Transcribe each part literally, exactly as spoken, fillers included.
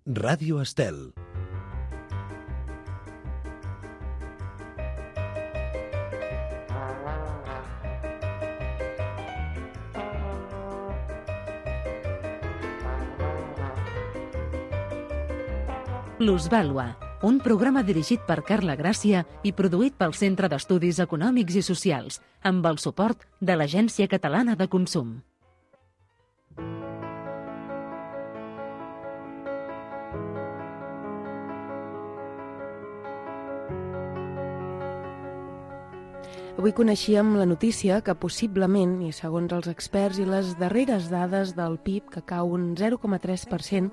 Ràdio Estel. Plusvàlua, un programa dirigit per Carla Gràcia i produït pel Centre d'Estudis Econòmics i Socials, amb el suport de l'Agència Catalana de Consum. Avui coneixíem la notícia que possiblement, i segons els experts i les darreres dades del P I B, que cau un zero coma tres per cent,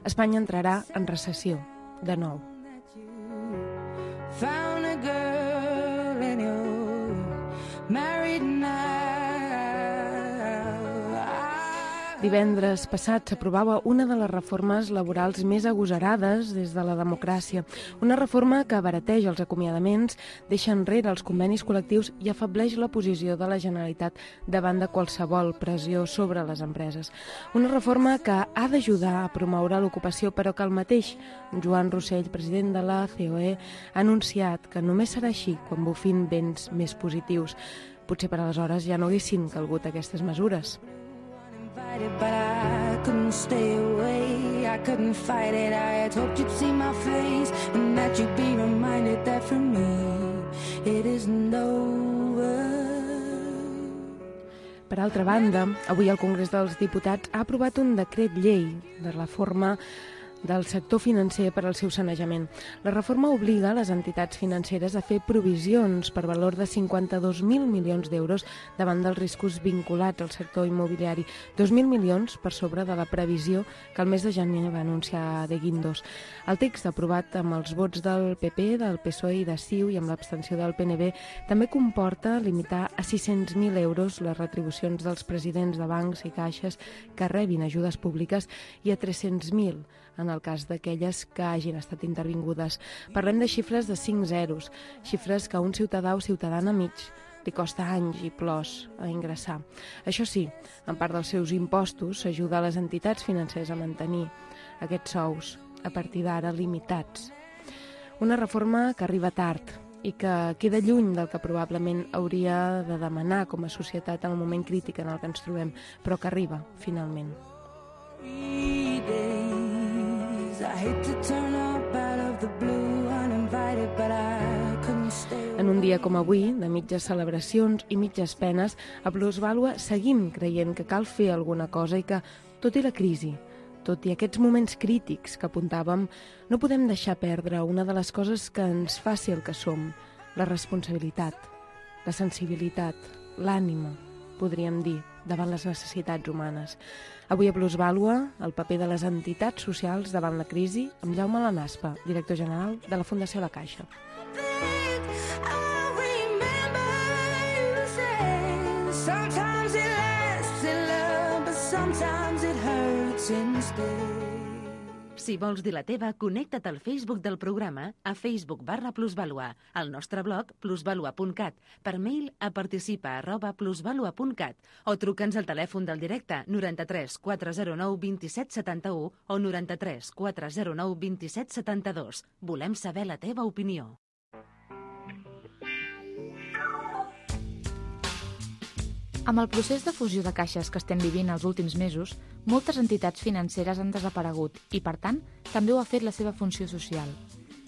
Espanya entrarà en recessió, de nou. Divendres passat s'aprovava una de les reformes laborals més agosarades des de la democràcia. Una reforma que abarateja els acomiadaments, deixa enrere els convenis col·lectius i afableix la posició de la Generalitat davant de qualsevol pressió sobre les empreses. Una reforma que ha d'ajudar a promoure l'ocupació, però que el mateix Joan Rossell, president de la C O E, ha anunciat que només serà així quan bufin vents més positius. Potser per aleshores ja no haguessin calgut aquestes mesures. But I couldn't stay away, I couldn't fight it. I had hoped you'd see my face and that you'd be reminded that for me it isn't over. Per altra banda, avui el Congrés dels Diputats ha aprovat un decret llei de reforma del sector financer per al seu sanejament. La reforma obliga les entitats financeres a fer provisions per valor de cinquanta-dos mil milions d'euros davant dels riscos vinculats al sector immobiliari, dos mil milions per sobre de la previsió que el mes de gener va anunciar de Guindos. El text aprovat amb els vots del P P, del P S O E i de C I U i amb l'abstenció del P N B també comporta limitar a sis-cents mil euros les retribucions dels presidents de bancs i caixes que rebin ajudes públiques i a tres-cents mil en el cas d'aquelles que hagin estat intervingudes. Parlem de xifres de cinc zeros, xifres que a un ciutadà o ciutadana mig li costa anys i plors a ingressar. Això sí, en part dels seus impostos s'ajuda a les entitats financeres a mantenir aquests sous, a partir d'ara limitats. Una reforma que arriba tard i que queda lluny del que probablement hauria de demanar com a societat en el moment crític en el que ens trobem, però que arriba, finalment. En un dia com avui, de mitges celebracions i mitges penes, a Plusvàlua seguim creient que cal fer alguna cosa i que, tot i la crisi, tot i aquests moments crítics que apuntàvem, no podem deixar perdre una de les coses que ens fa ser el que som, la responsabilitat, la sensibilitat, l'ànima, podríem dir, davant les necessitats humanes. Avui a Plusvàlua, el paper de les entitats socials davant la crisi, amb Jaume Lanaspa, director general de la Fundació La Caixa. Si vols dir la teva, connecta't al Facebook del programa a Facebook barra Plusvàlua, al nostre blog plusvàlua punt cat, per mail a participa arroba plusvàlua punt cat o truca'ns al telèfon del directe noranta-tres quatre zero nou vint-i-set setanta-u o noranta-tres quatre zero nou vint-i-set setanta-dos. Volem saber la teva opinió. Amb el procés de fusió de caixes que estem vivint els últims mesos, moltes entitats financeres han desaparegut i, per tant, també ho ha fet la seva funció social.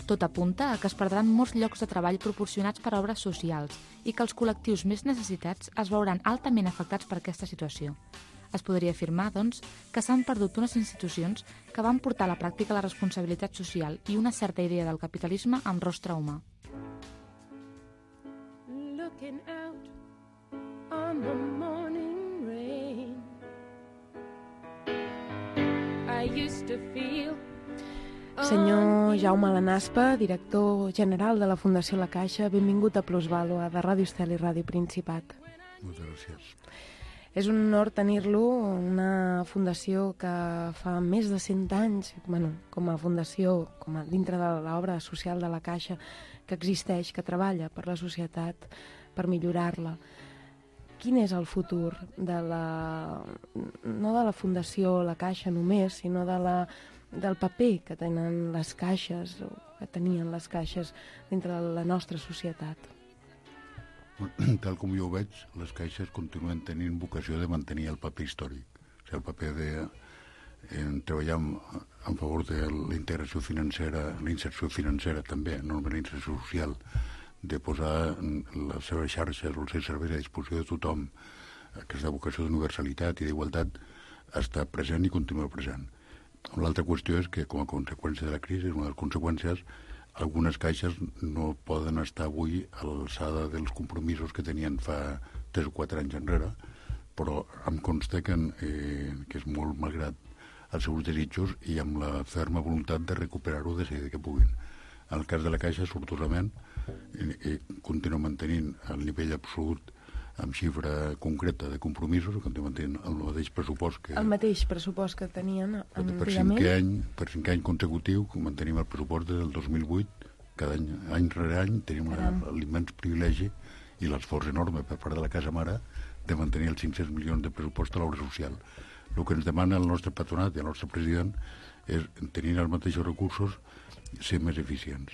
Tot apunta a que es perdran molts llocs de treball proporcionats per obres socials i que els col·lectius més necessitats es veuran altament afectats per aquesta situació. Es podria afirmar, doncs, que s'han perdut unes institucions que van portar a la pràctica la responsabilitat social i una certa idea del capitalisme amb rostre humà. Looking out on the morning rain, I used to feel... Senyor Jaume Lanaspa, director general de la Fundació La Caixa, benvingut a Plusvàlua de Ràdio Estel i Ràdio Principat. Moltes gràcies. És un honor tenir-lo, una fundació que fa més de cent anys, bueno, com a fundació, com a dintre de l'obra social de La Caixa, que existeix, que treballa per la societat, per millorar-la. Quin és el futur de la, no de la Fundació La Caixa només, sinó de la del paper que tenen les caixes, o que tenien les caixes dintre de la nostra societat. Tal com jo ho veig, les caixes continuen tenint vocació de mantenir el paper històric. O sigui, el paper de eh, treballar en, en favor de la integració financera, la inserció financera també, no la inserció social, de posar les seves xarxes o els seus serveis a disposició de tothom, aquesta vocació d'universalitat i d'igualtat està present i continua present. L'altra qüestió és que, com a conseqüència de la crisi, una de les conseqüències, algunes caixes no poden estar avui a l'alçada dels compromisos que tenien fa tres o quatre anys enrere, però em consta que, eh, que és molt malgrat els seus desitjos i amb la ferma voluntat de recuperar-ho de seguida que puguin. En el cas de la Caixa, sortosament, eh, eh, continua mantenint el nivell absolut amb xifra concreta de compromisos, que mantenint el mateix pressupost que... El mateix pressupost que tenien antigament. Per cinquè any, per cinquè any consecutiu, mantenim el pressupost des del dos mil vuit, cada any, any rere any, tenim l'immens privilegi i l'esforç enorme per part de la Casa Mare de mantenir els cinc-cents milions de pressupost a l'obra social. El que ens demana el nostre patronat i el nostre president és, tenint els mateixos recursos, ser més eficients,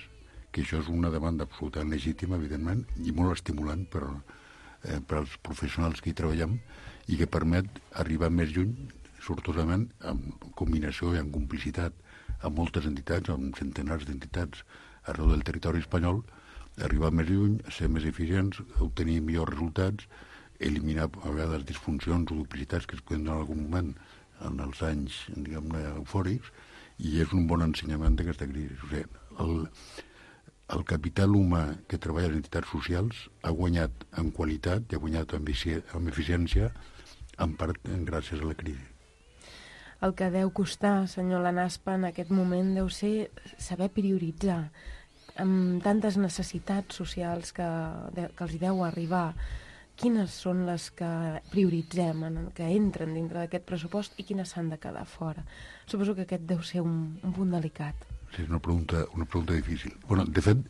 que això és una demanda absolutament legítima, evidentment, i molt estimulant per, eh, per als professionals que hi treballem i que permet arribar més lluny, sortosament, en combinació i en complicitat amb moltes entitats, amb centenars d'entitats arreu del territori espanyol, arribar més lluny, ser més eficients, obtenir millors resultats, eliminar a vegades disfuncions o duplicitats que es poden donar en algun moment en els anys, diguem-ne, eufòrics, i és un bon ensenyament d'aquesta crisi. O sigui, el, el capital humà que treballa a les entitats socials ha guanyat en qualitat i ha guanyat en, en eficiència, en part gràcies a la crisi. El que deu costar, senyor Lanaspa, en aquest moment deu ser saber prioritzar amb tantes necessitats socials que, de, que els hi deu arribar. Quines són les que prioritzem, en, que entren dintre d'aquest pressupost i quines s'han de quedar fora? Suposo que aquest deu ser un, un punt delicat. Sí, és una pregunta, una pregunta difícil. Bueno, de fet,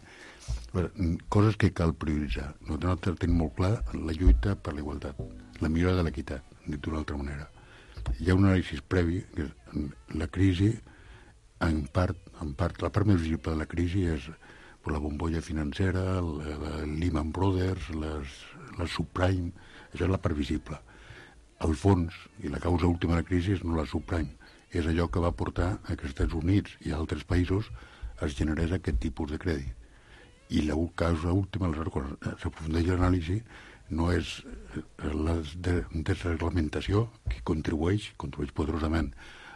coses que cal prioritzar. Nosaltres tenim molt clar la lluita per la igualtat, la millora de l'equitat, dit d'una altra manera. Hi ha un anàlisi previ, que la crisi, en part, en part, la part més visible de la crisi és la bombolla financera, el Lehman Brothers, les, les subprime, això és la part visible. El fons i la causa última de la crisi és no la subprime, és allò que va portar a que als Estats Units i a altres països es generés aquest tipus de crèdit. I la causa última, quan s'aprofundeix l'anàlisi, no és la desreglamentació, que contribueix, contribueix poderosament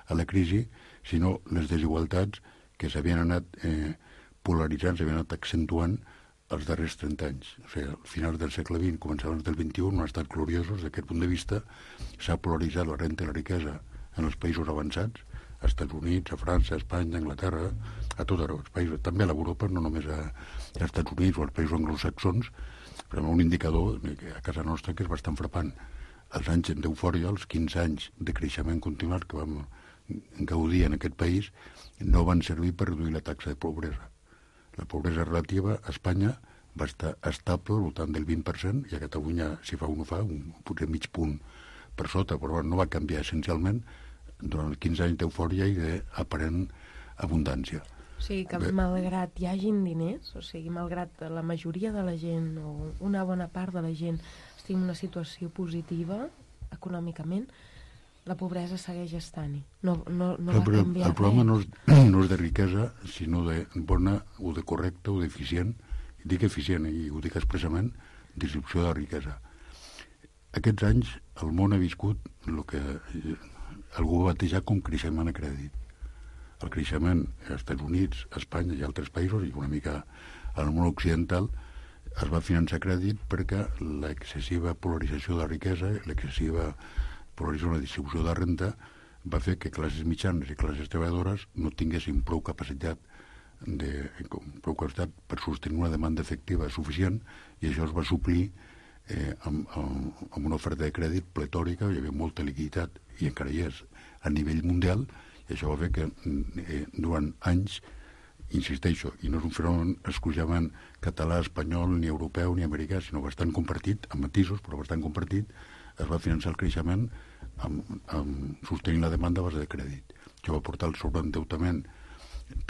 a la crisi, sinó les desigualtats que s'havien anat eh, polaritzant, s'havien anat accentuant els darrers trenta anys. O sigui, al final del segle vint, començaments del vint-i-un, no han estat gloriosos d'aquest punt de vista. S'ha polaritzat la renta i la riquesa en els països avançats, als Estats Units, a França, a Espanya, a Anglaterra, a tot arreu, els països, també a l'Europa, no només a, als Estats Units o als països anglosaxons, però un indicador a casa nostra que és bastant frapant. Els anys d'eufòria, els quinze anys de creixement continuat que vam gaudir en aquest país, no van servir per reduir la taxa de pobresa. La pobresa relativa a Espanya va estar estable al voltant del vint per cent i a Catalunya, si fa un ho fa, un, potser mig punt per sota, però no va canviar essencialment durant els quinze anys d'eufòria i d'aparent abundància. O sigui que Bé. malgrat hi hagin diners, o sigui, malgrat la majoria de la gent o una bona part de la gent estigui en una situació positiva econòmicament, la pobresa segueix estant-hi. No, no, no va canviar el problema no és, no és de riquesa, sinó de bona o de correcta o d'eficient, dic eficient i ho dic expressament, distribució de la riquesa. Aquests anys el món ha viscut el que algú va batejar com creixement a crèdit. El creixement als Estats Units, a Espanya i altres països, i una mica al món occidental, es va finançar a crèdit perquè l'excessiva polarització de la riquesa, l'excessiva polarització de la distribució de la renta, va fer que classes mitjanes i classes treballadores no tinguessin prou capacitat, de, prou capacitat per sostenir una demanda efectiva suficient, i això es va suplir eh, amb, amb, amb una oferta de crèdit pletòrica, hi havia molta liquiditat, i encara hi és, a nivell mundial, i això va fer que eh, durant anys, insisteixo, i no és un fenomen exclusivament català, espanyol, ni europeu, ni americà, sinó bastant compartit, amb matisos, però bastant compartit, es va finançar el creixement amb, amb sostenint la demanda a base de crèdit. que va portar el sobreendeutament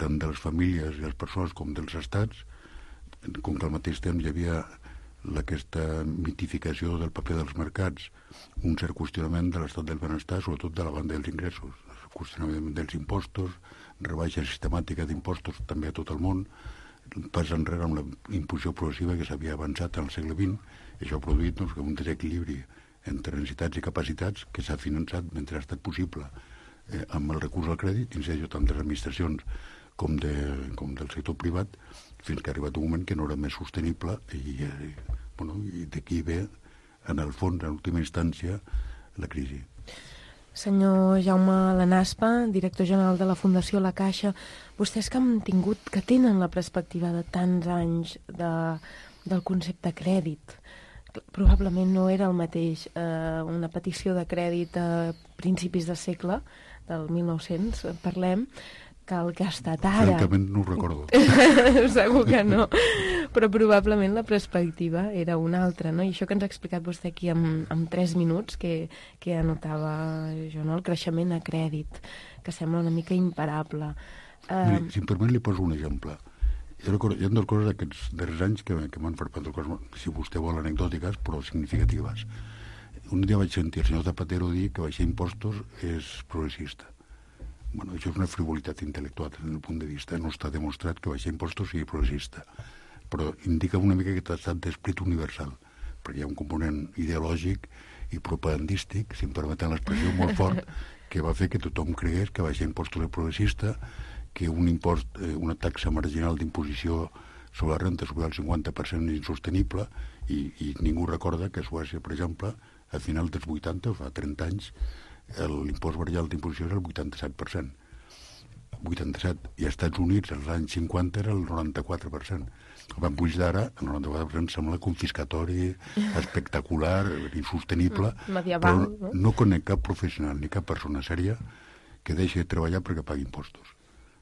tant de les famílies i les persones com dels estats, com que al mateix temps hi havia aquesta mitificació del paper dels mercats, un cert qüestionament de l'estat del benestar, sobretot de la banda dels ingressos, el qüestionament dels impostos, rebaixa sistemàtica d'impostos també a tot el món, pas enrere amb la imposició progressiva que s'havia avançat al segle vint, i això ha produït doncs, un desequilibri entre necessitats i capacitats que s'ha finançat mentre ha estat possible eh, amb el recurs al crèdit, dins d'allò tant de les administracions com, de, com del sector privat, fins que ha arribat un moment que no era més sostenible i, i, bueno, i d'aquí ve, en el fons, en última instància, la crisi. Senyor Jaume Lanaspa, director general de la Fundació La Caixa, vostès que han tingut, que tenen la perspectiva de tants anys de, del concepte crèdit, probablement no era el mateix eh, una petició de crèdit a principis de segle, del mil nou-cents, parlem, que el que ha estat ara. Francament no ho recordo. Segur que no. Però probablement la perspectiva era una altra, no? I això que ens ha explicat vostè aquí en, en tres minuts, que, que anotava jo, no? El creixement a crèdit, que sembla una mica imparable. Uh... Miri, si em permet li poso un exemple. Jo recordo, hi ha dues coses d'aquests darrers anys que, que m'han fet prendre coses, si vostè vol, anecdòtiques, però significatives. Un dia vaig sentir el senyor Zapatero dir que baixar impostos és progressista. Bueno, això és una frivolitat intel·lectual des del punt de vista. No està demostrat que baixar impostos sigui progressista, però indica una mica que ha estat d'esprit universal, perquè hi ha un component ideològic i propagandístic, si em permeten l'expressió, molt fort, que va fer que tothom cregués que baixar impostos és progressista, que un impost, eh, una taxa marginal d'imposició sobre la renta sobre el cinquanta per cent és insostenible, i, i ningú recorda que a Suècia, per exemple, a final dels vuitanta, fa trenta anys, l'impost marginal d'imposició era el vuitanta-set per cent. vuitanta-set. I als Estats Units, als anys cinquanta, era el noranta-quatre per cent. El van pujar d'ara, el noranta-quatre per cent sembla confiscatori, espectacular, insostenible, medieval, però no conec cap professional ni cap persona sèria que deixi de treballar perquè pagui impostos.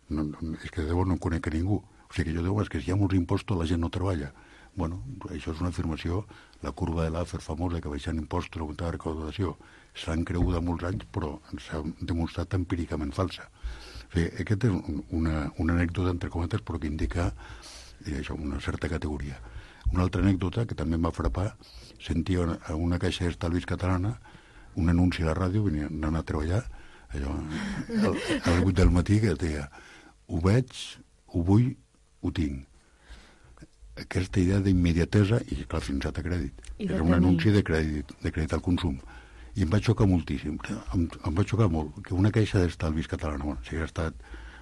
No, no, és que de debò no conec a ningú. O sigui que jo diu, és que si hi ha molts impostos la gent no treballa. Bueno, això és una afirmació, la curva de l'Afer famosa, que baixant impostos, augmentar la recaudació, s'han cregut molts anys, però s'ha demostrat empíricament falsa. O sigui, aquesta és una, una anècdota, entre cometes, però que indica eh, això, una certa categoria. Una altra anècdota que també em va frapar, sentia a una caixa d'estalvis catalana un anunci a la ràdio, venia anant a treballar, allò, a les vuit del matí, que deia, ho veig, ho vull, ho tinc. Aquesta idea d'immediatesa, i clar, fins a crèdit. Era un anunci de crèdit, de crèdit al consum. I em va xocar moltíssim, em, em va xocar molt, que una caixa d'estalvis catalana, bueno, si hagués estat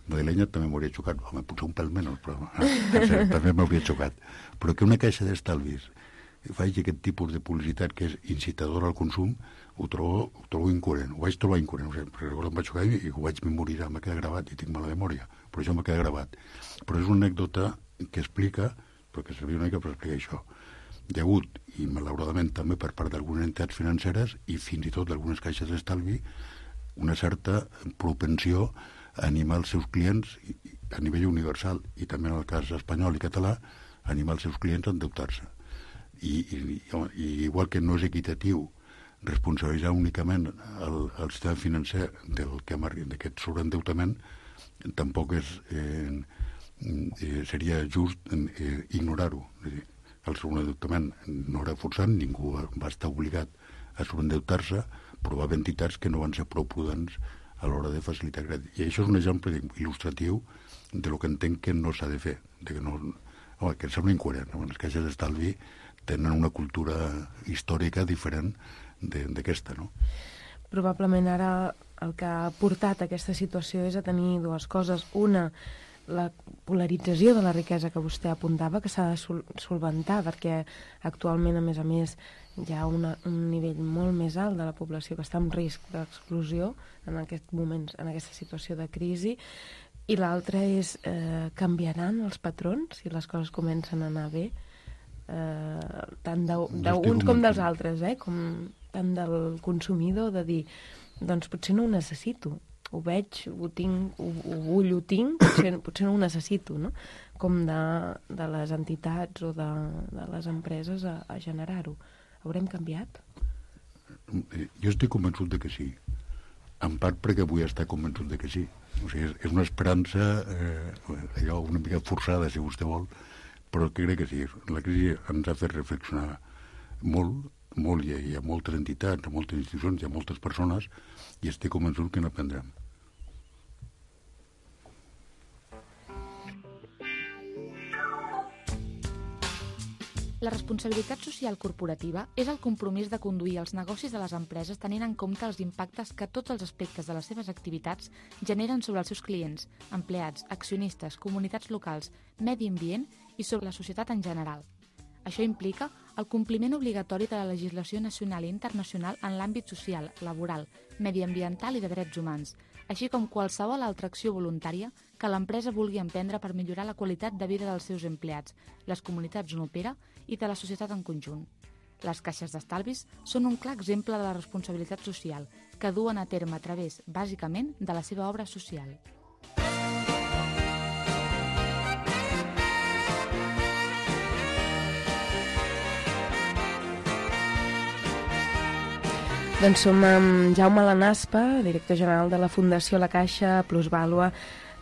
madrilenya també m'hauria xocat, home, potser un pèl menys, però eh, també m'hauria xocat. Però que una caixa d'estalvis faci aquest tipus de publicitat que és incitadora al consum, ho trobo, ho trobo incoherent, ho vaig trobar incoherent, o sigui, perquè em vaig xocar i ho vaig memoritzar, m'ha quedat gravat i tinc mala memòria, però això m'ha quedat gravat. Però és una anècdota que explica, perquè servia una mica per explicar això. Hi ha hagut, i malauradament també per part d'algunes entitats financeres i fins i tot d'algunes caixes d'estalvi, una certa propensió a animar els seus clients a nivell universal, i també en el cas espanyol i català, a animar els seus clients a endeutar-se. I, i, i igual que no és equitatiu responsabilitzar únicament el, el sistema financer del que d'aquest sobreendeutament, tampoc és, eh, eh, seria just eh, ignorar-ho. El sobreendeutament no era forçat, ningú va estar obligat a sobreendeutar-se, però va haver entitats que no van ser prou prudents a l'hora de facilitar crèdit. I això és un exemple il·lustratiu de lo que entenc que no s'ha de fer, de que no, home, que sembla incoherent. Les caixes d'estalvi tenen una cultura històrica diferent d'aquesta, no? Probablement ara el que ha portat a aquesta situació és a tenir dues coses. Una, la polarització de la riquesa que vostè apuntava, que s'ha de sol solventar, perquè actualment, a més a més, hi ha una, un nivell molt més alt de la població que està en risc d'exclusió en aquest moment, en aquesta situació de crisi. I l'altra és, eh, canviaran els patrons si les coses comencen a anar bé, eh, tant d'uns com dels altres, eh, com tant del consumidor, de dir, doncs potser no ho necessito, ho veig, ho tinc, ho, ho vull, ho tinc, potser, potser no ho necessito, no? Com de, de les entitats o de, de les empreses a, a generar-ho. Haurem canviat? Jo estic convençut de que sí. En part perquè vull estar convençut de que sí. O sigui, és, és una esperança eh, allò una mica forçada, si vostè vol, però crec que sí. La crisi ens ha fet reflexionar molt, molt, hi ha, hi ha moltes entitats, hi ha moltes institucions, hi ha moltes persones, i estic convençut que n'aprendrem. La responsabilitat social corporativa és el compromís de conduir els negocis de les empreses tenint en compte els impactes que tots els aspectes de les seves activitats generen sobre els seus clients, empleats, accionistes, comunitats locals, medi ambient i sobre la societat en general. Això implica el compliment obligatori de la legislació nacional i internacional en l'àmbit social, laboral, mediambiental i de drets humans, així com qualsevol altra acció voluntària que l'empresa vulgui emprendre per millorar la qualitat de vida dels seus empleats, les comunitats on opera i de la societat en conjunt. Les caixes d'estalvis són un clar exemple de la responsabilitat social que duen a terme a través, bàsicament, de la seva obra social. Doncs som amb Jaume Lanaspa, director general de la Fundació La Caixa Plusvàlua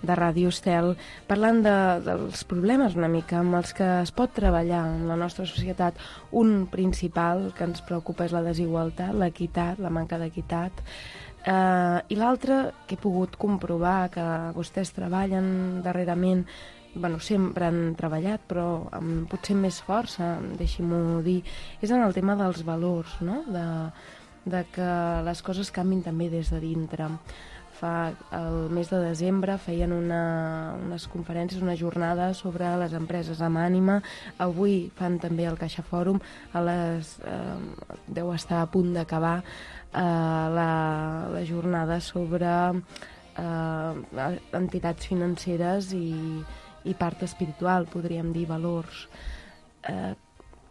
de Ràdio Estel, parlant de, dels problemes una mica amb els que es pot treballar en la nostra societat. Un principal que ens preocupa és la desigualtat, l'equitat, la manca d'equitat, eh, i l'altre que he pogut comprovar que vostès treballen darrerament, bueno, sempre han treballat, però amb potser més força, deixi-m'ho dir, és en el tema dels valors, no?, de de que les coses canvin també des de dintre. Fa el mes de desembre feien una, unes conferències, una jornada sobre les empreses amb ànima. Avui fan també el Caixa Fòrum, a les, eh, deu estar a punt d'acabar eh, la, la jornada sobre eh, entitats financeres i, i part espiritual, podríem dir, valors. Eh,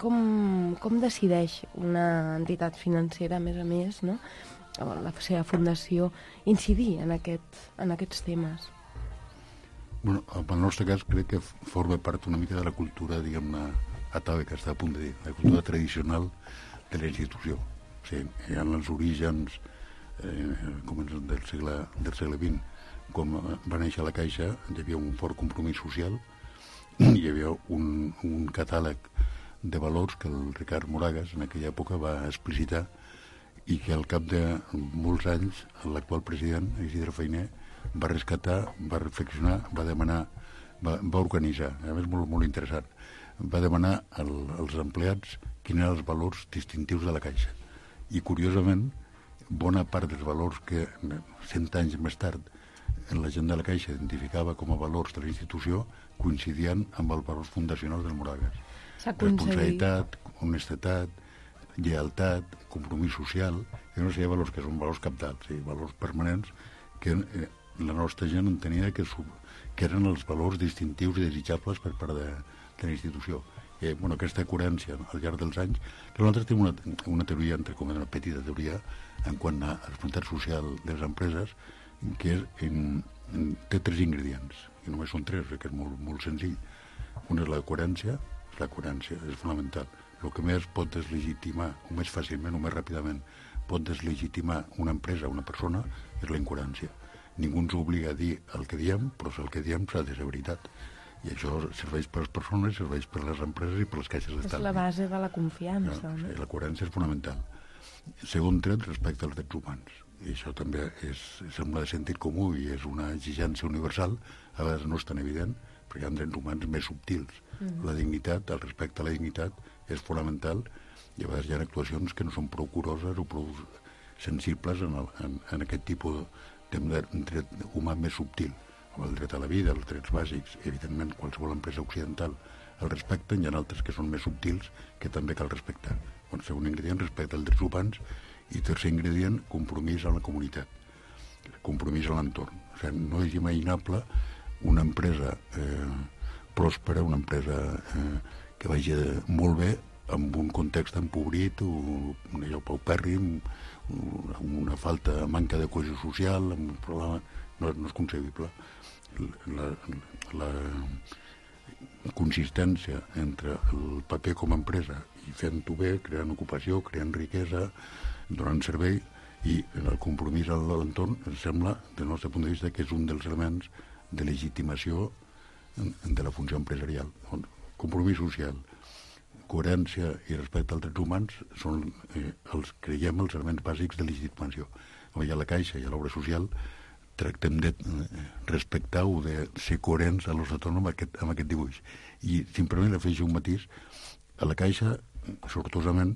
Com, com decideix una entitat financera, a més a més, no?, o la seva fundació, incidir en, aquest, en aquests temes? Bueno, en el nostre cas crec que forma part una mica de la cultura, diguem-ne, atava, que està a punt de dir, la cultura tradicional de la institució. O sigui, hi ha els orígens eh, com del segle, del segle vint. Com va néixer la Caixa, hi havia un fort compromís social, hi havia un, un catàleg de valors que el Ricard Moragas en aquella època va explicitar i que al cap de molts anys l'actual president, Isidre Fainé, va rescatar, va reflexionar, va demanar, va, va organitzar, a més molt, molt interessant, va demanar al, als empleats quins eren els valors distintius de la Caixa. I curiosament, bona part dels valors que cent anys més tard la gent de la Caixa identificava com a valors de la institució coincidien amb els valors fundacionals del Moragas. Responsabilitat, honestedat, lleialtat, compromís social, i una sèrie de valors que són valors cabdals, sí, valors permanents que eh, la nostra gent entenia que, que eren els valors distintius i desitjables per part de, de la institució. Eh, bueno, aquesta coherència al llarg dels anys, que nosaltres tenim una, una teoria, entre com una petita teoria, en quant a la responsabilitat social de les empreses, que és en, en, té tres ingredients, i només són tres, que és molt, molt senzill. Una és la coherència, la coherència és fonamental. El que més pot deslegitimar, o més fàcilment o més ràpidament, pot deslegitimar una empresa, una persona, és la incoherència. Ningú ens obliga a dir el que diem, però el que diem s'ha de ser veritat. I això serveix per les persones, serveix per les empreses i per les caixes d'estalvi. És la base de la confiança. No, sí, la coherència és fonamental. Segon tret, respecte als drets humans. I això també és, sembla de sentit comú i és una exigència universal, a vegades no és tan evident, perquè hi ha drets humans més subtils. Mm-hmm. La dignitat, el respecte a la dignitat és fonamental, i a vegades hi ha actuacions que no són prou curoses o prou sensibles en, el, en, en aquest tipus de dret humà més subtil. El dret a la vida, els drets bàsics, evidentment qualsevol empresa occidental el respecten, hi ha altres que són més subtils que també cal respectar. Bon, segon ingredient, respecte als drets humans, i tercer ingredient, compromís amb la comunitat, compromís amb l'entorn. O sigui, no és imaginable una empresa eh, pròspera, una empresa eh, que vagi molt bé amb un context empobrit, o allò paupèrrim, amb una falta, manca de cohesió social, amb un problema, no, no és concebible. La, la consistència entre el paper com a empresa i fent-ho bé, creant ocupació, creant riquesa, donant servei, I el compromís a l'entorn em sembla, del nostre punt de vista, que és un dels elements de legitimació de la funció empresarial. Compromís social, coherència i respecte als drets humans són, eh, els, creiem, els elements bàsics de legitimació. I a la Caixa i a l'obra social tractem de respectar o de ser coherents a l'os autònom amb aquest, amb aquest dibuix. I simplement afegeixo un matís. A la Caixa, sortosament,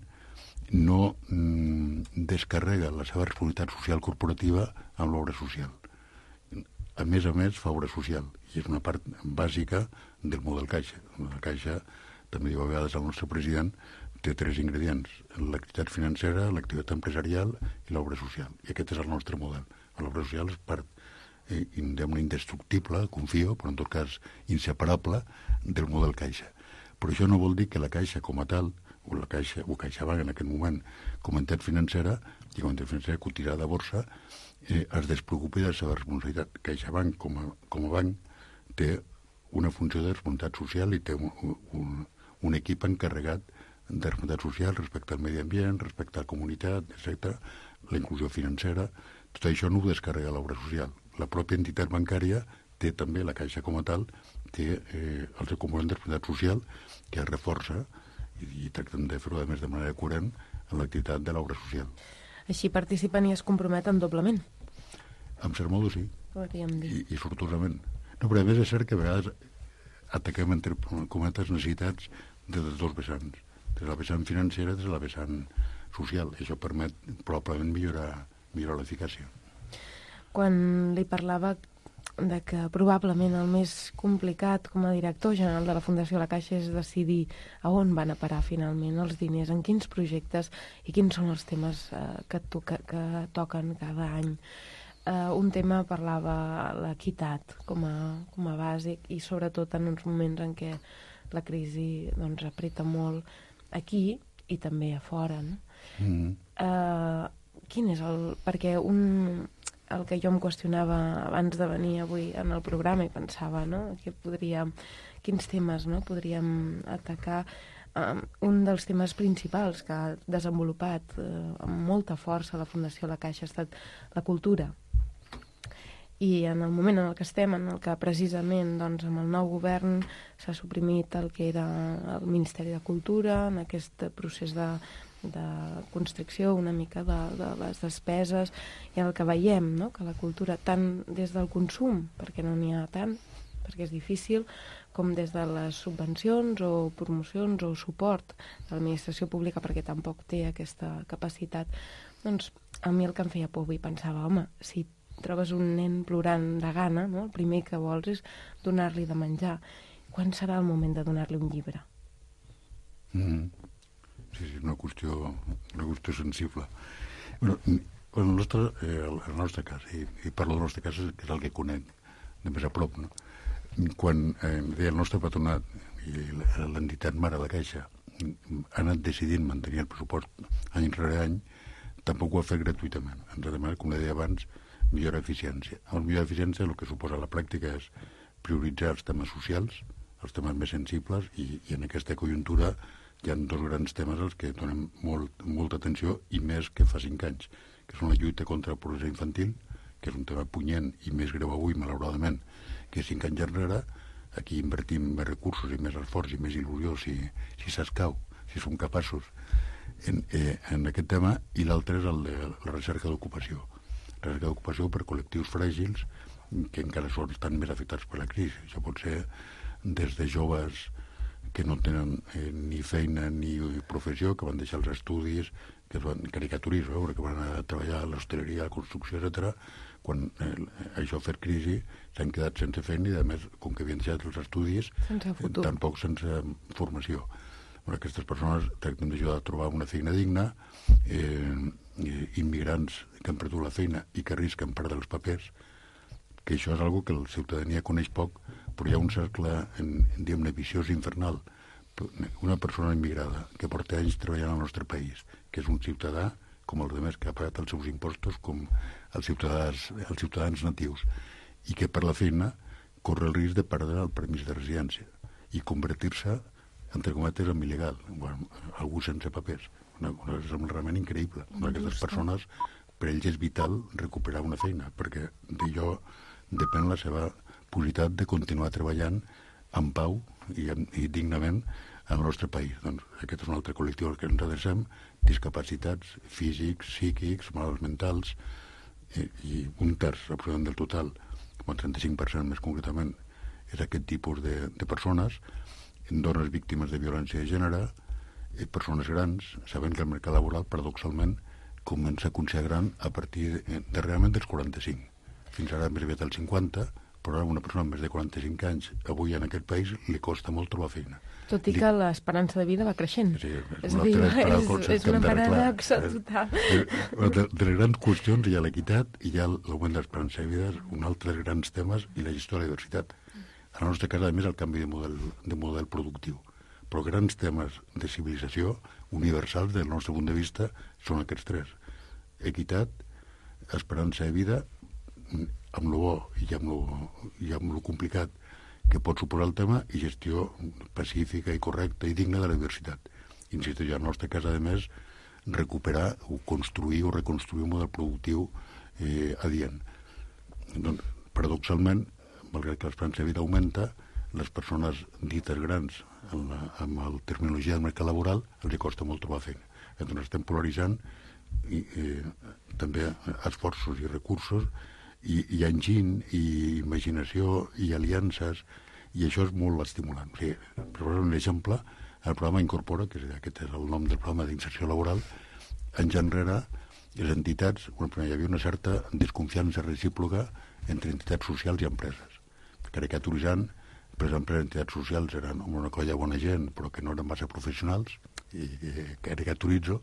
no mm, descarrega la seva responsabilitat social corporativa amb l'obra social. A més a més, fa obra social, i és una part bàsica del model Caixa. La Caixa, també diu a vegades el nostre president, té tres ingredients: l'activitat financera, l'activitat empresarial i l'obra social. I aquest és el nostre model. L'obra social és part eh, indestructible, confio, però en tot cas inseparable del model Caixa. Però això no vol dir que la Caixa com a tal, o la Caixa, o CaixaBank en aquest moment, com a entitat financera, i com a entitat financera cotizada de borsa, eh, es despreocupi de la seva responsabilitat. CaixaBank, com a, com a banc, té una funció de responsabilitat social i té un, un, un equip encarregat de responsabilitat social respecte al medi ambient, respecte a la comunitat, etcètera, la inclusió financera. Tot això no ho descarrega l'obra social. La pròpia entitat bancària té també, la Caixa com a tal, té eh, el seu component de responsabilitat social que es reforça i, i tractem de fer-ho, a més, de manera coherent en l'activitat de l'obra social. Així participen i es comprometen doblement. En cert modo, sí. Podríem dir. I, i sortosament. No, però a més és cert que a vegades ataquem, entre cometes, necessitats de tots dos vessants. Des de la vessant financera, des de la vessant social. I això permet probablement millorar, millorar l'eficàcia. Quan li parlava de que probablement el més complicat com a director general de la Fundació La Caixa és decidir a on van a parar finalment els diners, en quins projectes i quins són els temes eh, que, toca, que toquen cada any. Eh, un tema parlava l'equitat com a, com a bàsic i sobretot en uns moments en què la crisi doncs, apreta molt aquí i també a fora. No? Mm-hmm. Eh, quin és el... Perquè un... el que jo em qüestionava abans de venir avui en el programa i pensava, no?, que podríem, quins temes, no?, podríem atacar. Um, un dels temes principals que ha desenvolupat uh, amb molta força la Fundació La Caixa ha estat la cultura. I en el moment en el que estem, en el que precisament doncs, amb el nou govern s'ha suprimit el que era el Ministeri de Cultura, en aquest procés de de constricció una mica de, de les despeses, i el que veiem, no?, que la cultura, tant des del consum, perquè no n'hi ha tant, perquè és difícil, com des de les subvencions o promocions o suport de l'administració pública, perquè tampoc té aquesta capacitat, doncs a mi el que em feia por avui pensava, home, si trobes un nen plorant de gana, no?, el primer que vols és donar-li de menjar. Quan serà el moment de donar-li un llibre? Mm. Sí, sí, una qüestió, una qüestió sensible. Bueno, el nostre, eh, el nostre cas, i, i parlo del nostre cas, que és el que conec de més a prop, no? Quan eh, deia el nostre patronat i l'entitat mare de la Caixa ha anat decidint mantenir el pressupost any rere any, tampoc ho ha fet gratuïtament. Ens ha demanat, com deia abans, millor eficiència. El millor eficiència el que suposa la pràctica és prioritzar els temes socials, els temes més sensibles, i, i en aquesta conjuntura hi ha dos grans temes als que donem molt, molta atenció, i més que fa cinc anys, que són la lluita contra la pobresa infantil, que és un tema punyent i més greu avui, malauradament, que cinc anys enrere. Aquí invertim més recursos i més esforç i més il·lusió, si, si s'escau, si som capaços en, eh, en aquest tema. I l'altre és el de la recerca d'ocupació. La recerca d'ocupació per col·lectius fràgils que encara són, estan més afectats per la crisi. Això pot ser des de joves que no tenen eh, ni feina ni professió, que van deixar els estudis, que es van caricaturisme, que van a treballar a l'hostaleria, a la construcció, etcètera. Quan eh, això ha fet crisi, s'han quedat sense feina i, a més, com que havien deixat els estudis, eh, tampoc sense formació. Bueno, aquestes persones tracten d'ajudar a trobar una feina digna, eh, immigrants que han perdut la feina i que arrisquen perdre els papers, que això és una cosa que la ciutadania coneix poc, però hi ha un cercle, en, diguem-ne, viciós infernal. Una persona immigrada que porta anys treballant al nostre país, que és un ciutadà com els altres, que ha pagat els seus impostos com els ciutadans, els ciutadans natius, i que per la feina corre el risc de perdre el permís de residència i convertir-se, entre cometes, en il·legal, bueno, algú sense papers. Una cosa realment increïble. Aquestes persones per ells és vital recuperar una feina, perquè d'allò depèn la seva possibilitat de continuar treballant en pau i, i dignament al nostre país. Doncs aquest és un altre col·lectiu al que ens adrecem, discapacitats físics, psíquics, malalts mentals, i, i un terç, aproximadament del total, com el trenta-cinc per cent més concretament, és aquest tipus de, de persones, dones víctimes de violència de gènere, i persones grans, sabent que el mercat laboral, paradoxalment, comença a consagrar a partir de, de realment dels quaranta-cinc. Fins ara més aviat dels cinquanta, però a una persona amb més de quaranta-cinc anys, avui en aquest país, li costa molt trobar feina. Tot i li... que l'esperança de vida va creixent. Sí, és, és, dir, és, és una paradoxa eh, total. De, de les grans qüestions hi ha l'equitat, hi ha l'augment de l'esperança de vida, un altre dels grans temes, i la gestió de la diversitat. En el nostre cas, a més, el canvi de model, de model productiu. Però grans temes de civilització universals, del nostre punt de vista, són aquests tres. Equitat, esperança de vida, amb lo bo i amb lo, i amb lo complicat que pot suposar el tema, i gestió pacífica i correcta i digna de la diversitat. Insisto, ja en el nostre cas, a més, recuperar o construir o reconstruir un model productiu eh, adient. Doncs, paradoxalment, malgrat que l'esperança de vida augmenta, les persones dites grans, amb la, amb la terminologia del mercat laboral, els costa molt trobar feina. Doncs estem polaritzant i, eh, també esforços i recursos, i, i enginy, i imaginació, i aliances, i això és molt estimulant. O sigui, per posar un exemple, el programa Incorpora, que és, aquest és el nom del programa d'inserció laboral, anys enrere, les entitats, bueno, hi havia una certa desconfiança recíproca entre entitats socials i empreses. Caricaturitzant, per exemple, les entitats socials eren una colla de bona gent, però que no eren massa professionals, i, i caricaturitzo,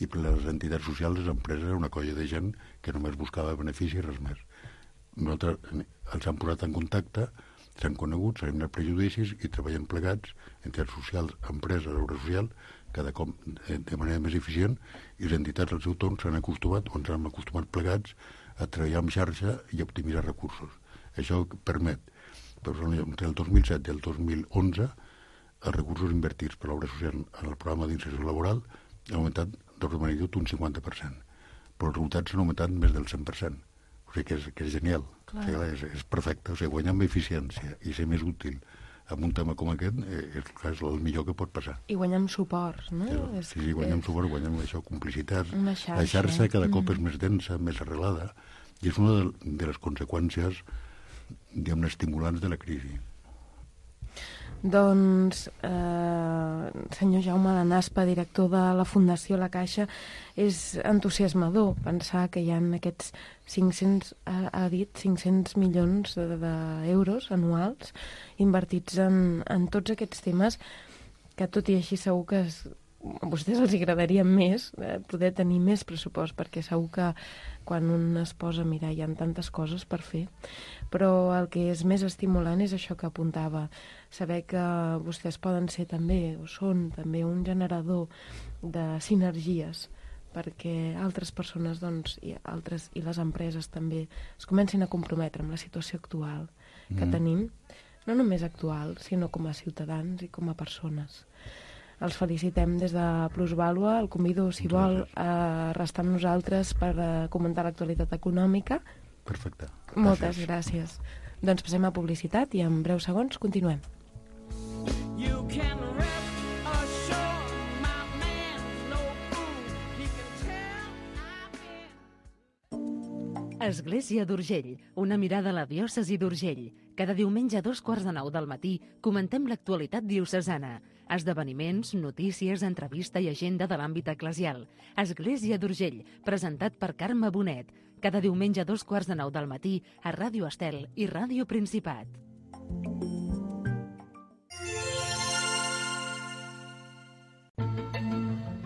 i per les entitats socials, les empreses, era una colla de gent que només buscava benefici i res més. Nosaltres els han posat en contacte, s'han conegut, s'han anat prejudicis i treballem plegats, entitats socials, empreses, obra social, cada cop de manera més eficient, i les entitats al seu torn s'han acostumat, o ens han acostumat plegats, a treballar en xarxa i a optimitzar recursos. Això permet, per exemple, entre el dos mil set i el dos mil onze, els recursos invertits per l'obra social en el programa d'inserció laboral han augmentat d'ordre de magnitud un cinquanta per cent, però els resultats s'han augmentat més del cent per cent. O sigui que és, que és genial, o sigui, és, és perfecte. O sigui, guanyar amb eficiència i ser més útil en un tema com aquest eh, és, és el millor que pot passar. I guanyar amb suport, no? És, sí, sí, guanyar amb suport, guanyar amb això, complicitat. Xarxa. La xarxa cada cop mm. és més densa, més arrelada, i és una de, de les conseqüències, diguem-ne, estimulants de la crisi. Doncs, eh, senyor Jaume Lanaspa, director de la Fundació La Caixa, és entusiasmador pensar que hi ha aquests cinc-cents, ha, ha dit, cinc-cents milions d'euros anuals invertits en, en tots aquests temes, que tot i així segur que es, a vostès els agradaria més, eh, poder tenir més pressupost, perquè segur que quan un es posa a mirar hi ha tantes coses per fer, però el que és més estimulant és això que apuntava, saber que vostès poden ser també, o són també, un generador de sinergies, perquè altres persones, doncs, i altres i les empreses també es comencin a comprometre amb la situació actual que mm. tenim, no només actual, sinó com a ciutadans i com a persones. Els felicitem des de Plusvàlua. El convido, si vol, a restar amb nosaltres per comentar l'actualitat econòmica. Perfecte. Moltes gràcies. Doncs passem a publicitat i en breus segons continuem. You can rest assured, my man's no fool. He can tell I've been... Església d'Urgell, una mirada a la diòcesi d'Urgell. Cada diumenge a dos quarts de nou del matí comentem l'actualitat diocesana. Esdeveniments, notícies, entrevista i agenda de l'àmbit eclesial. Església d'Urgell, presentat per Carme Bonet. Cada diumenge a dos quarts de nou del matí a Ràdio Estel i Ràdio Principat.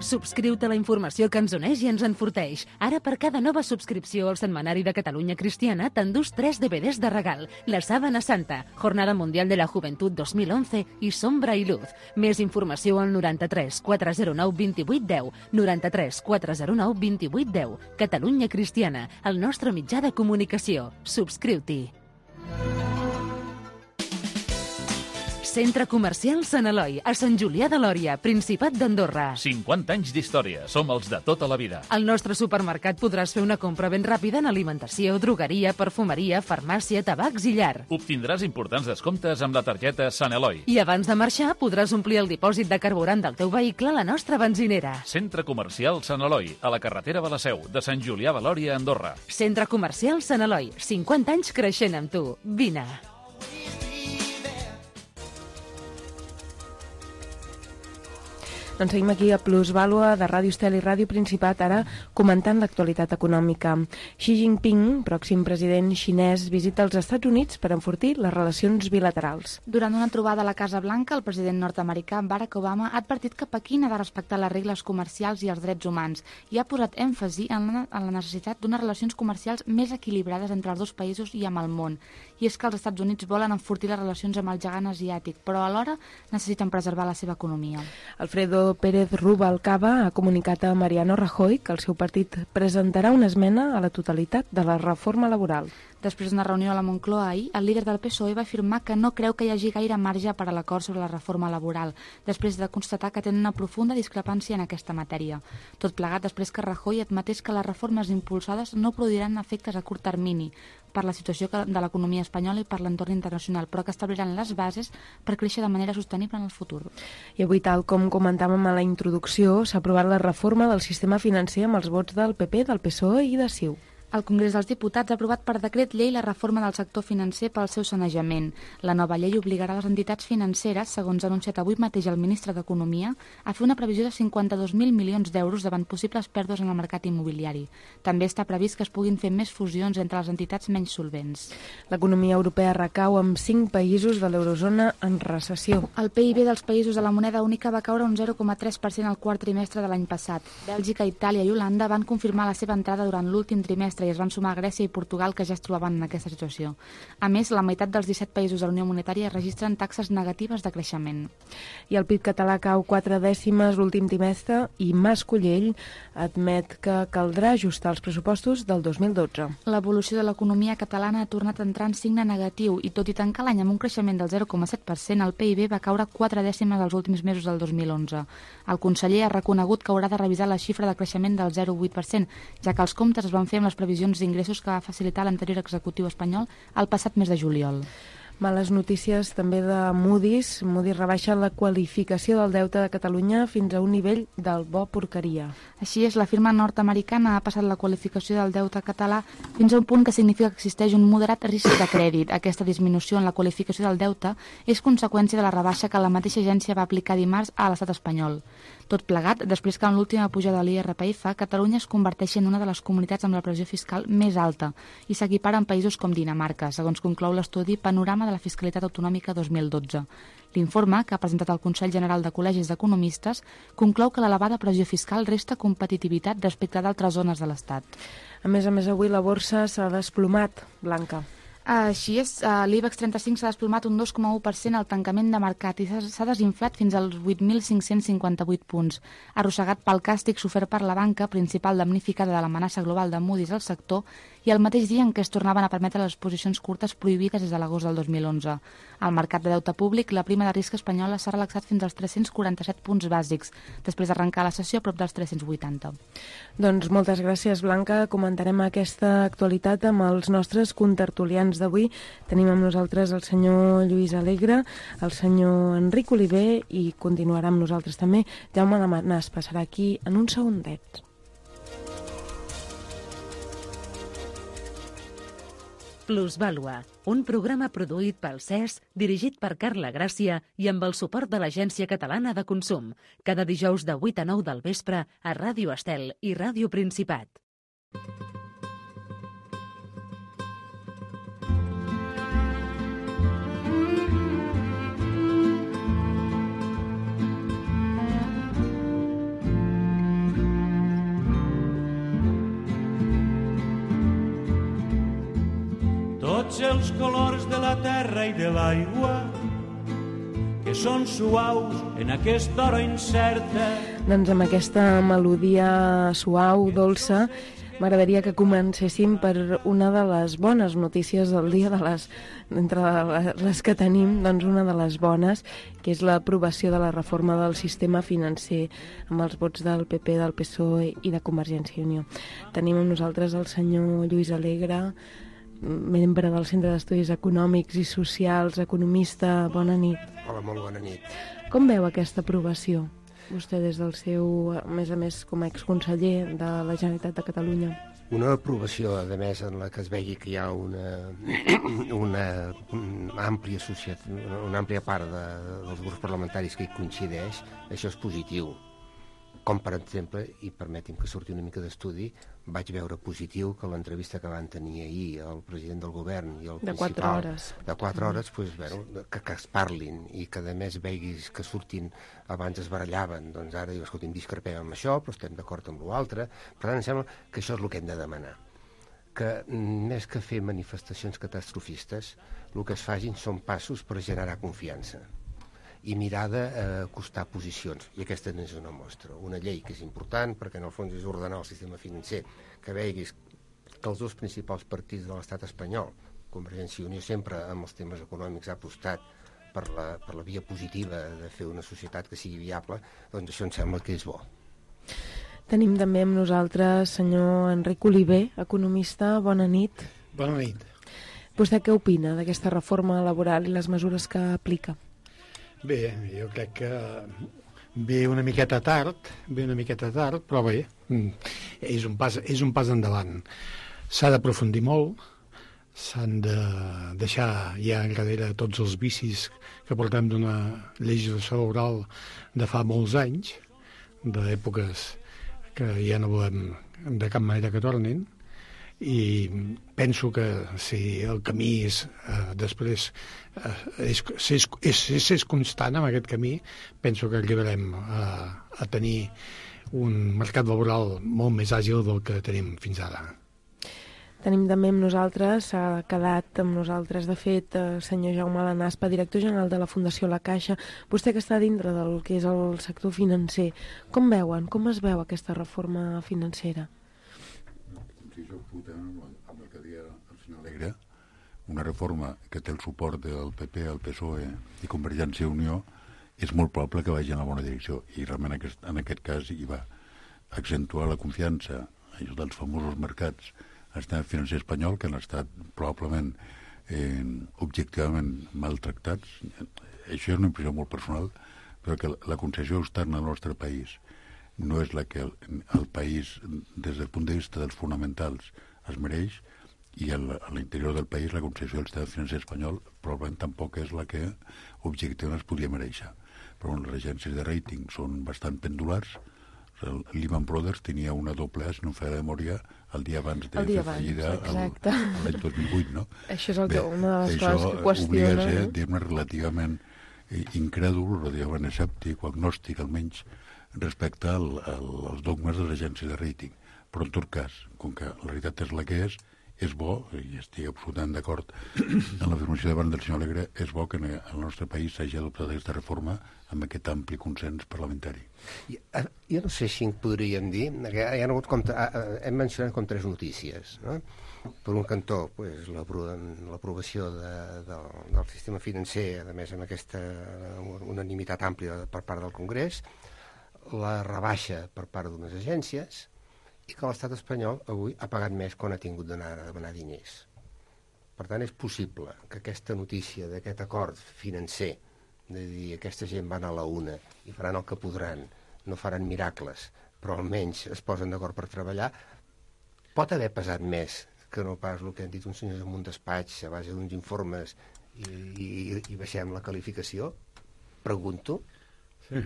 Subscriu-te a la informació que ens uneix i ens enforteix. Ara, per cada nova subscripció al Setmanari de Catalunya Cristiana, t'endús tres D V Ds de regal. La Sábana Santa, Jornada Mundial de la Juventud dos mil onze i Sombra i Luz. Més informació al noranta-tres quatre zero nou vint-i-vuit deu, noranta-tres quatre zero nou vint-i-vuit deu. Catalunya Cristiana, el nostre mitjà de comunicació. Subscriu-t'hi. Centre Comercial Sant Eloi, a Sant Julià de Lòria, Principat d'Andorra. cinquanta anys d'història. Som els de tota la vida. Al nostre supermercat podràs fer una compra ben ràpida en alimentació, drogueria, perfumeria, farmàcia, tabacs i llar. Obtindràs importants descomptes amb la targeta Sant Eloi. I abans de marxar podràs omplir el dipòsit de carburant del teu vehicle a la nostra benzinera. Centre Comercial Sant Eloi, a la carretera de la Seu, de Sant Julià de Lòria, Andorra. Centre Comercial Sant Eloi, cinquanta anys creixent amb tu. Vine. Doncs seguim aquí a Plusvàlua de Ràdio Estel i Ràdio Principat, ara comentant l'actualitat econòmica. Xi Jinping, pròxim president xinès, visita els Estats Units per enfortir les relacions bilaterals. Durant una trobada a la Casa Blanca, el president nord-americà Barack Obama ha advertit que Pequín ha de respectar les regles comercials i els drets humans i ha posat èmfasi en la, en la necessitat d'unes relacions comercials més equilibrades entre els dos països i amb el món. I és que els Estats Units volen enfortir les relacions amb el gegant asiàtic, però alhora necessiten preservar la seva economia. Alfredo Pérez Rubalcaba ha comunicat a Mariano Rajoy que el seu partit presentarà una esmena a la totalitat de la reforma laboral. Després d'una reunió a la Moncloa ahir, el líder del P S O E va afirmar que no creu que hi hagi gaire marge per a l'acord sobre la reforma laboral, després de constatar que tenen una profunda discrepància en aquesta matèria. Tot plegat després que Rajoy admetés que les reformes impulsades no produiran efectes a curt termini per la situació de l'economia espanyola i per l'entorn internacional, però que establiran les bases per créixer de manera sostenible en el futur. I avui, tal com comentàvem a la introducció, s'ha aprovat la reforma del sistema financer amb els vots del P P, del P S O E i de CiU. El Congrés dels Diputats ha aprovat per decret llei la reforma del sector financer pel seu sanejament. La nova llei obligarà les entitats financeres, segons ha anunciat avui mateix el ministre d'Economia, a fer una previsió de cinquanta-dos mil milions d'euros davant possibles pèrdues en el mercat immobiliari. També està previst que es puguin fer més fusions entre les entitats menys solvents. L'economia europea recau amb cinc països de l'eurozona en recessió. El P I B dels països de la moneda única va caure un zero coma tres per cent al quart trimestre de l'any passat. Bèlgica, Itàlia i Holanda van confirmar la seva entrada durant l'últim trimestre i es van sumar Grècia i Portugal, que ja es trobaven en aquesta situació. A més, la meitat dels disset països de la Unió Monetària registren taxes negatives de creixement. I el P I B català cau quatre dècimes l'últim trimestre i Mas Collell admet que caldrà ajustar els pressupostos del dos mil dotze. L'evolució de l'economia catalana ha tornat a entrar en signe negatiu i tot i tancar l'any amb un creixement del zero coma set per cent, el P I B va caure quatre dècimes els últims mesos del dos mil onze. El conseller ha reconegut que haurà de revisar la xifra de creixement del zero coma vuit per cent, ja que els comptes es van fer amb les previsions d'ingressos que va facilitar l'anterior executiu espanyol el passat mes de juliol. Males notícies també de Moody's. Moody's rebaixa la qualificació del deute de Catalunya fins a un nivell del bo porqueria. Així és, la firma nord-americana ha passat la qualificació del deute català fins a un punt que significa que existeix un moderat risc de crèdit. Aquesta disminució en la qualificació del deute és conseqüència de la rebaixa que la mateixa agència va aplicar dimarts a l'estat espanyol. Tot plegat, després que en l'última pujada de l'I R P F, Catalunya es converteix en una de les comunitats amb la pressió fiscal més alta i s'equipara amb països com Dinamarca, segons conclou l'estudi Panorama de la Fiscalitat Autonòmica dos mil dotze. L'informe, que ha presentat el Consell General de Col·legis d'Economistes, conclou que l'elevada pressió fiscal resta competitivitat respecte d'altres zones de l'Estat. A més a més, avui la borsa s'ha desplomat, Blanca. Així és, l'I B E X trenta-cinc s'ha desplomat un dos coma u per cent al tancament de mercat i s'ha desinflat fins als vuit mil cinc-cents cinquanta-vuit punts, arrossegat pel càstig sofert per la banca, principal damnificada de l'amenaça global de Moody's al sector, i el mateix dia en què es tornaven a permetre les posicions curtes prohibides des de l'agost del dos mil onze. Al mercat de deute públic, la prima de risc espanyola s'ha relaxat fins als tres-cents quaranta-set punts bàsics, després d'arrencar la sessió a prop dels tres-cents vuitanta. Doncs moltes gràcies, Blanca. Comentarem aquesta actualitat amb els nostres contertulians d'avui. Tenim amb nosaltres el senyor Lluís Alegre, el senyor Enric Oliver i continuarà amb nosaltres també Jaume Lamanàs. Passarà aquí en un segundet. Plusvàlua, un programa produït pel C E S, dirigit per Carla Gràcia i amb el suport de l'Agència Catalana de Consum, cada dijous de vuit a nou del vespre a Ràdio Estel i Ràdio Principat. Tots els colors de la terra i de l'aigua que són suaus en aquesta hora incerta. Doncs amb aquesta melodia suau, dolça, M'agradaria que comencéssim per una de les bones notícies del dia, de les, entre les que tenim, doncs una de les bones, que és l'aprovació de la reforma del sistema financer amb els vots del P P, del P S O E i de Convergència i Unió. Tenim amb nosaltres el senyor Lluís Alegre, membre del Centre d'Estudis Econòmics i Socials, economista. Bona nit. Hola, molt bona nit. Com veu aquesta aprovació? Vostè des del seu, a més a més, com a exconseller de la Generalitat de Catalunya. Una aprovació, a més, en la que es vegi que hi ha una, una, una, àmplia, societat, una àmplia part de, dels grups parlamentaris que hi coincideix, això és positiu. Com, per exemple, i permeti'm que surti una mica d'estudi, vaig veure positiu que l'entrevista que van tenir ahir el president del govern i el de principal... quatre hores. De quatre hores, doncs, bueno, que, que es parlin i que, a més, veguis que surtin, abans es barallaven, doncs ara diu, escolta, discrepem amb això, però estem d'acord amb l'altre. Per tant, em sembla que això és el que hem de demanar. Que, més que fer manifestacions catastrofistes, el que es facin són passos per generar confiança i mirar d'acostar posicions, i aquesta n'és una mostra. Una llei que és important perquè en el fons és ordenar el sistema financer, que veguis que els dos principals partits de l'estat espanyol, Convergència i Unió, sempre amb els temes econòmics ha apostat per la, per la via positiva de fer una societat que sigui viable, doncs això em sembla que és bo. Tenim també amb nosaltres senyor Enric Oliver, economista. Bona nit. Bona nit. Vostè què opina d'aquesta reforma laboral i les mesures que aplica? Bé, jo crec que ve una miqueta tard, ve una miqueta tard, però bé, és un pas, és un pas endavant. S'ha d'aprofundir molt, s'han de deixar ja enrere tots els vicis que portem d'una legislació laboral de fa molts anys, d'èpoques que ja no volem de cap manera que tornin, i penso que si el camí és eh, després eh, és, és, és, és, és constant en aquest camí, penso que arribarem a, a tenir un mercat laboral molt més àgil del que tenim fins ara. Tenim també amb nosaltres, s'ha quedat amb nosaltres, de fet, el senyor Jaume Lanaspa, director general de la Fundació La Caixa. Vostè que està dintre del que és el sector financer, com veuen, com es veu aquesta reforma financera? Sí, jo absolutament amb el que deia el senyor Alegre, una reforma que té el suport del P P, el P S O E i Convergència i Unió, és molt probable que vagi en la bona direcció, i realment aquest, en aquest cas hi va accentuar la confiança dels famosos mercats al sistema financer espanyol, que han estat probablement eh, objectivament maltractats. Això és una impressió molt personal, però que la concessió externa al nostre país no és la que el, el país, des del punt de vista dels fonamentals, es mereix, i el, a l'interior del país la concessió del sistema financer espanyol probablement tampoc és la que objectivament es podria mereixer. Però bueno, les agències de rating són bastant pendulars. El Lehman Brothers tenia una doble A, si no feia de memòria, el dia abans de dia fer fallida l'any dos mil vuit, no? Això és el que, Bé, una de les això coses que qüestiona. Obliga a ser, no? diguem-ne, relativament incrèdul, relativament escèptic o agnòstic, almenys, respecte al, al, als dogmes de les agències de rating. Però en tot cas, com que la realitat és la que és, és bo, i estic absolutament d'acord en l'afirmació davant del senyor Alegre, és bo que en el nostre país s'hagi adoptat aquesta reforma amb aquest ampli consens parlamentari. Jo, jo no sé si en podríem dir, que hi ha hagut com, hem mencionat com tres notícies, no? Per un cantó, pues, l'aprovació de, de, del sistema financer, a més amb aquesta unanimitat àmplia per part del Congrés, la rebaixa per part d'unes agències, i que l'estat espanyol avui ha pagat més quan ha tingut d'anar a demanar diners. Per tant, és possible que aquesta notícia d'aquest acord financer, de dir aquesta gent van a la una i faran el que podran, no faran miracles, però almenys es posen d'acord per treballar, pot haver pesat més que no pas el que han dit uns senyors en un despatx a base d'uns informes i, i, i baixem la qualificació? Pregunto. Sí.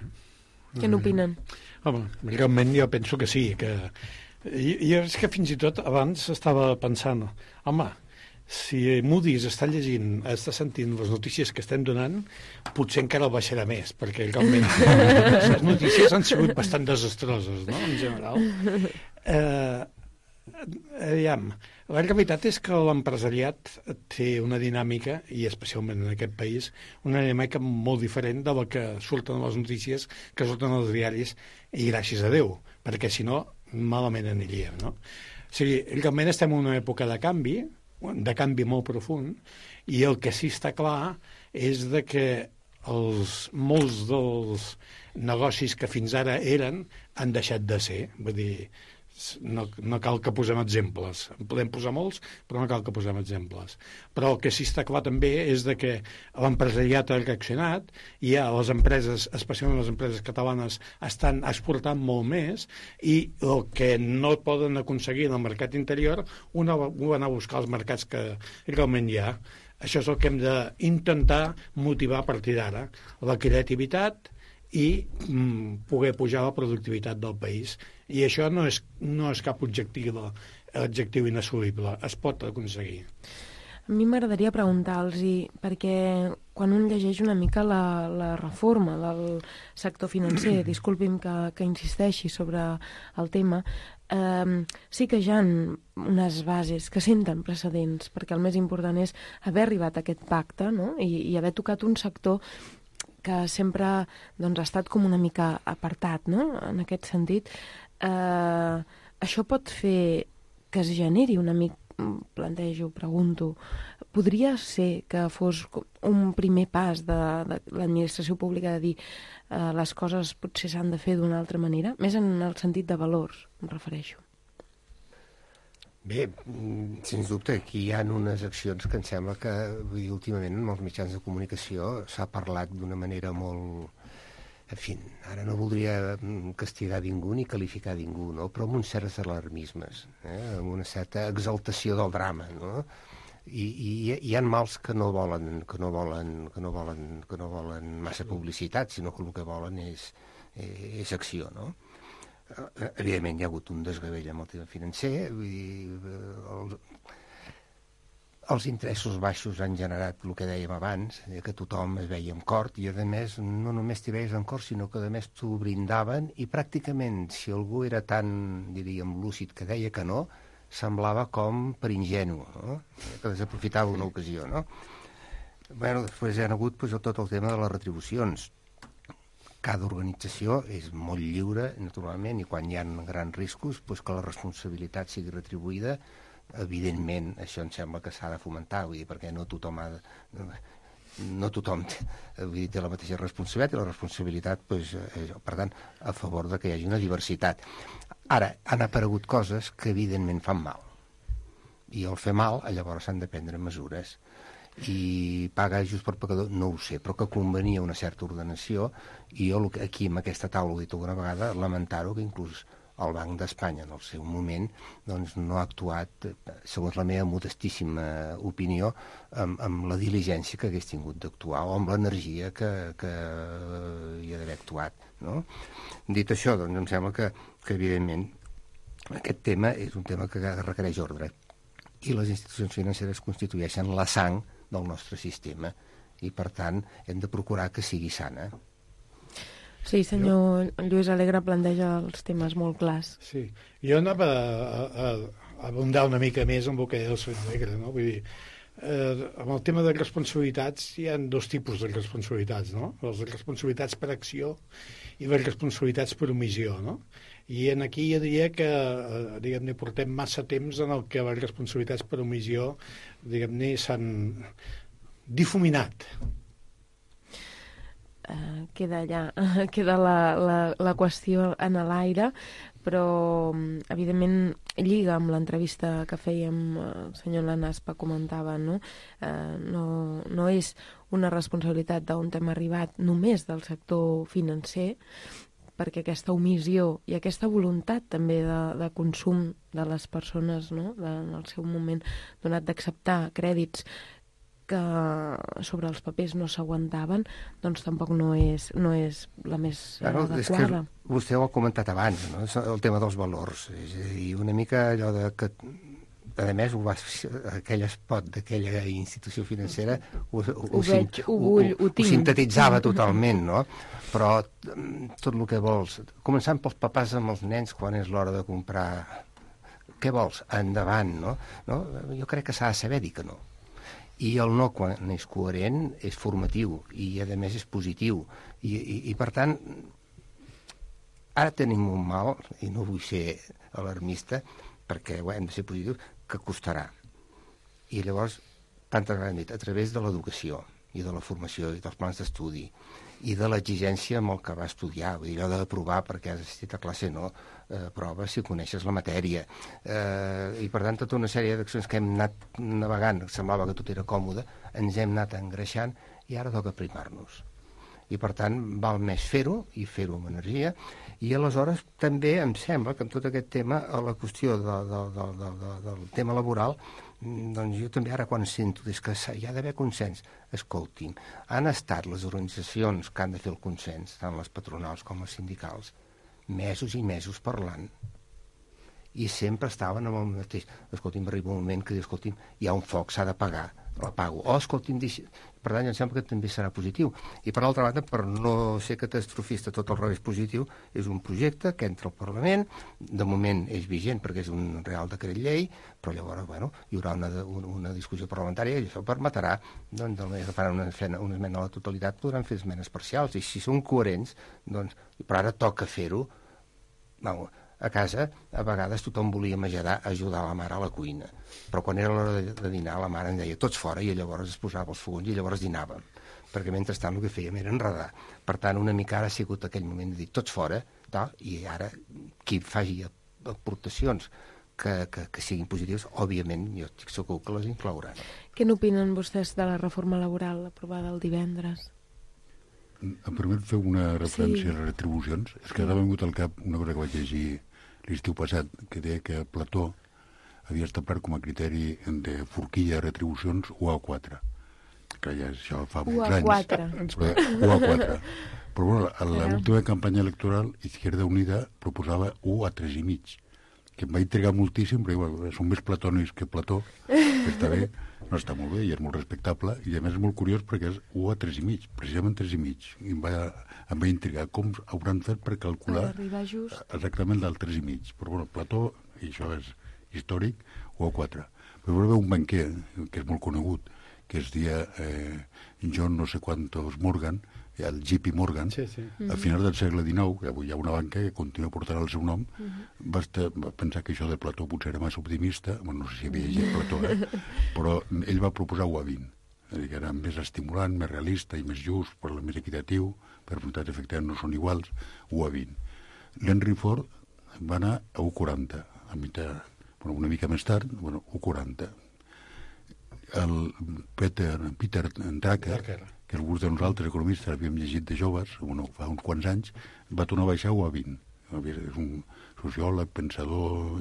Què n'opinen? Home, realment jo penso que sí, que I, i és que fins i tot abans estava pensant, home, si Moody's està llegint, està sentint les notícies que estem donant, potser encara el baixarà més, perquè realment les notícies han sigut bastant desastroses, no?, en general. Eh, aviam, la realitat és que l'empresariat té una dinàmica, i especialment en aquest país, una dinàmica molt diferent de la que surten les notícies, que surten als diaris, i gràcies a Déu, perquè si no malament aniríem, no? sigui, realment estem en una època de canvi, de canvi molt profund, i el que sí està clar és de que els, molts dels negocis que fins ara eren han deixat de ser. Vull dir, no, no cal que posem exemples. En podem posar molts, però no cal que posem exemples. Però el que sí està clar també és de que l'empresariat ha reaccionat i ja les empreses, especialment les empreses catalanes, estan exportant molt més i el que no poden aconseguir en el mercat interior ho van a buscar als mercats que realment hi ha. Això és el que hem d'intentar motivar a partir d'ara. La creativitat i mm, poder pujar la productivitat del país. I això no és, no és cap objectiu, objectiu inassolible. Es pot aconseguir. A mi m'agradaria preguntar-los, perquè quan un llegeix una mica la, la reforma del sector financer, disculpi'm que, que insisteixi sobre el tema, eh, sí que hi ha unes bases que senten precedents, perquè el més important és haver arribat a aquest pacte, no? I, i haver tocat un sector que sempre doncs, ha estat com una mica apartat, no? En aquest sentit. Eh, això pot fer que es generi una mica, plantejo, pregunto, podria ser que fos un primer pas de, de l'administració pública de dir eh, les coses potser s'han de fer d'una altra manera? Més en el sentit de valors, em refereixo. Bé, sens dubte, aquí hi ha unes accions que em sembla que vull dir, últimament en els mitjans de comunicació s'ha parlat d'una manera molt... En fi, ara no voldria castigar ningú ni qualificar ningú, no? Però amb uns certs alarmismes, eh? Amb una certa exaltació del drama, no? I, i hi ha mals que no volen, que no volen, que no volen, que no volen massa publicitat, sinó que el que volen és, és acció, no? Evidentment hi ha hagut un desgavell amb el tema financer, vull dir, els, els interessos baixos han generat el que dèiem abans, que tothom es veia amb cort, i a més no només t'hi veies amb cort, sinó que a més t'ho brindaven, i pràcticament si algú era tan, diríem, lúcid que deia que no, semblava com per ingenu, no? Que desaprofitava una ocasió, no? Bueno, després hi ha hagut pues, tot el tema de les retribucions. Cada organització és molt lliure, naturalment, i quan hi ha grans riscos, doncs que la responsabilitat sigui retribuïda, evidentment, això em sembla que s'ha de fomentar, vull dir, perquè no tothom ha de, no tothom té, vull dir, té la mateixa responsabilitat, i la responsabilitat, doncs, és, per tant, a favor de que hi hagi una diversitat. Ara, han aparegut coses que evidentment fan mal, i al fer mal, llavors s'han de prendre mesures. I pagar just per pecador, no ho sé, però que convenia una certa ordenació, i jo aquí en aquesta taula ho he dit alguna vegada, lamentar-ho que inclús el Banc d'Espanya en el seu moment doncs, no ha actuat, segons la meva modestíssima opinió, amb, amb la diligència que hagués tingut d'actuar o amb l'energia que, que hi ha d'haver actuat, no? Dit això, doncs em sembla que, que evidentment aquest tema és un tema que requereix ordre, i les institucions financeres constitueixen la sang del nostre sistema, i per tant hem de procurar que sigui sana. Sí, senyor Lluís Alegre planteja els temes molt clars. Sí, jo anava a, a, a abundar una mica més amb el que deia el senyor Alegre, no? Vull dir, eh, amb el tema de responsabilitats hi ha dos tipus de responsabilitats, no? Les responsabilitats per acció i les responsabilitats per omissió, no? I en aquí jo diria que eh, diguem-ne, portem massa temps en el que les responsabilitats per omissió diguem-ne, s'han difuminat. Uh, queda allà, uh, queda la, la, la qüestió en l'aire, però evidentment lliga amb l'entrevista que fèiem, el senyor Lanaspa comentava, no? Uh, no, no és una responsabilitat d'on hem arribat només del sector financer, perquè aquesta omissió i aquesta voluntat també de, de consum de les persones, no? de, en el seu moment donat d'acceptar crèdits que sobre els papers no s'aguantaven, doncs tampoc no és, no és la més claro, adequada. És que vostè ho ha comentat abans, no? El tema dels valors. És a dir, una mica allò de que... A més, ho va, aquell espot d'aquella institució financera ho, ho, ho, veig, ho, vull, ho, ho, ho sintetitzava totalment, no? Però tot el que vols, començant pels papàs amb els nens quan és l'hora de comprar, què vols? Endavant, no? no? Jo crec que s'ha de saber dir que no. I el no, quan és coherent, és formatiu, i a més és positiu. I, i, i per tant, ara tenim un mal, i no vull ser alarmista, perquè bé, hem de ser positius, que costarà. I llavors, tantes vegades dit, a través de l'educació i de la formació i dels plans d'estudi i de l'exigència amb el que va estudiar, vull dir, allò d'aprovar perquè has assistit a classe no, eh, prova si coneixes la matèria. Eh, I per tant, tota una sèrie d'accions que hem anat navegant, semblava que tot era còmode, ens hem anat engreixant i ara toca primar-nos. I per tant, val més fer-ho i fer-ho amb energia. I aleshores també em sembla que en tot aquest tema, a la qüestió de, de, de, de, de, del tema laboral, doncs jo també ara quan sento és que hi ha d'haver consens. Escolti'm, han estat les organitzacions que han de fer el consens, tant les patronals com els sindicals, mesos i mesos parlant, i sempre estaven amb el mateix. Escolti'm, arriba un moment que diu, escolti'm, hi ha un foc, s'ha de pagar, la pago. O, escolti'm, deixi... per tant, em sembla que també serà positiu. I per altra banda, per no ser catastrofista, tot al revés positiu, és un projecte que entra al Parlament, de moment és vigent perquè és un real decret llei, però llavors, bueno, hi haurà una, una, una discussió parlamentària i això permetrà, doncs, de manera que faran una, una esmena a la totalitat, podran fer esmenes parcials, i si són coherents, doncs, però ara toca fer-ho, no, a casa, a vegades tothom volia menjar, ajudar la mare a la cuina. Però quan era l'hora de, de dinar, la mare em deia tots fora i llavors es posava els fogons i llavors dinàvem. Perquè mentrestant el que fèiem era enredar. Per tant, una mica ara ha sigut aquell moment de dir tots fora, tal, i ara qui faci aportacions que, que, que siguin positives, òbviament, jo estic segur que les inclouran. Què n'opinen vostès de la reforma laboral aprovada el divendres? Em permet fer una referència sí. a les retribucions? És que sí. ara m'ha vingut al cap una cosa que vaig llegir l'estiu passat, que deia que Plató havia establert com a criteri de forquilla de retribucions u a quatre. Que ja això fa molts anys. u a quatre. Però, u a quatre. Però bueno, a l'última campanya electoral, Izquierda Unida proposava u a tres i mig, que em va intrigar moltíssim, perquè bueno, són més platònics que Plató, que està bé, no està molt bé i és molt respectable, i a més és molt curiós perquè és u a tres i mig, precisament tres i mig. I em va, em va intrigar com hauran fet per calcular just. exactament del tres i mig. Però bueno, Plató, i això és històric, u a quatre. Però hi va un banquer, que és molt conegut, que es deia eh, John no sé quantos Morgan, el J P Morgan, sí, sí. a finals del segle dinou, que avui hi ha una banca que continua portant el seu nom, uh -huh. va, estar, va pensar que això de Plató potser era massa optimista, bueno, no sé si havia llegit Plató, eh? però ell va proposar u a vint, és a dir, que era més estimulant, més realista i més just, però més equitatiu, per resultats efectivament no són iguals, u a vint. L'Henry Ford va anar a u a quaranta, a mitjà, bueno, una mica més tard, bueno, u a quaranta. El Peter, Peter Drucker, Drucker. que alguns de nosaltres economistes havíem llegit de joves, bueno, fa uns quants anys, va tornar a baixar u a vint. És un sociòleg, pensador,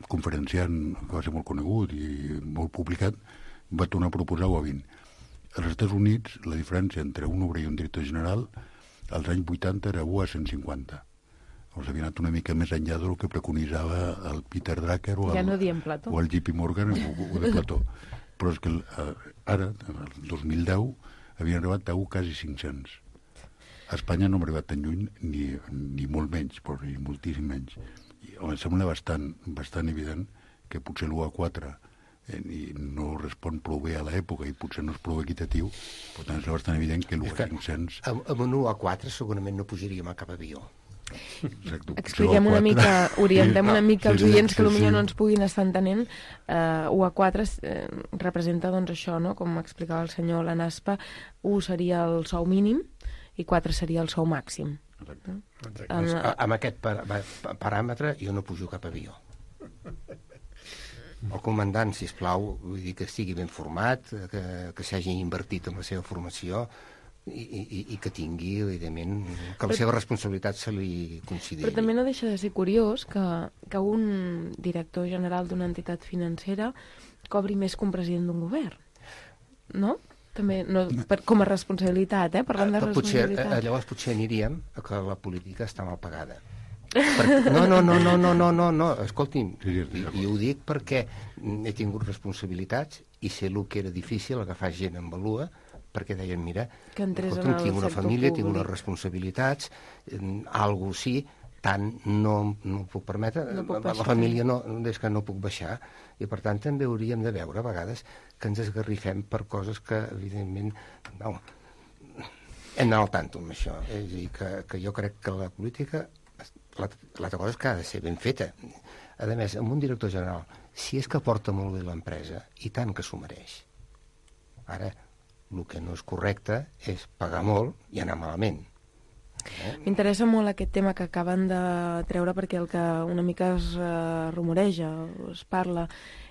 conferenciant, que va ser molt conegut i molt publicat, va tornar a proposar u a vint. Als Estats Units, la diferència entre un obrer i un director general, als anys vuitanta era u a cent cinquanta. Llavors havia anat una mica més enllà del que preconitzava el Peter Drucker o el, ja no diem Plató. o el J P Morgan o, o de Plató. Però és que eh, ara, el dos mil deu, havien arribat a u quasi cinc-cents. A Espanya no hem arribat tan lluny, ni, ni molt menys, però ni moltíssim menys. I em sembla bastant, bastant evident que potser l'u a quatre eh, no respon prou bé a l'època i potser no és prou equitatiu, per tant és bastant evident que l'u a cinc-cents... Amb, amb un u a quatre segurament no pujaríem a cap avió. Exacte. Expliquem una mica, orientem una mica els oients que potser no ens puguin estar entenent. Uh, u a quatre eh, representa doncs això, no? Com explicava el senyor Lanaspa, u seria el sou mínim i quatre seria el sou màxim. Exacte. Exacte. En, doncs, amb aquest par paràmetre jo no pujo cap avió. El comandant, sisplau, vull dir que estigui ben format, que, que s'hagi invertit en la seva formació, I, i, i que tingui, evidentment, que la seva responsabilitat se li consideri. Però també no deixa de ser curiós que, que un director general d'una entitat financera cobri més que un president d'un govern, no? També, no, per, com a responsabilitat, eh? Parlant de responsabilitat. Potser, llavors potser aniríem a que la política està mal pagada. Perquè, no, no, no, no, no, no, no, no, escolti'm, i, i ho dic perquè he tingut responsabilitats i sé el que era difícil agafar gent en valua, perquè deien, mira, escolta'm, tinc una família, tinc unes responsabilitats, algo sí, tant no, no puc permetre, no puc la família no, és que no puc baixar, i per tant també hauríem de veure a vegades que ens esgarrifem per coses que, evidentment, no, hem d'anar al tanto amb això, és a dir, que, que jo crec que la política l'altra cosa és que ha de ser ben feta. A més, amb un director general, si és que porta molt bé l'empresa, i tant que s'ho mereix. Ara, el que no és correcte és pagar molt i anar malament. Eh? M'interessa molt aquest tema que acaben de treure, perquè el que una mica es uh, rumoreja, es parla,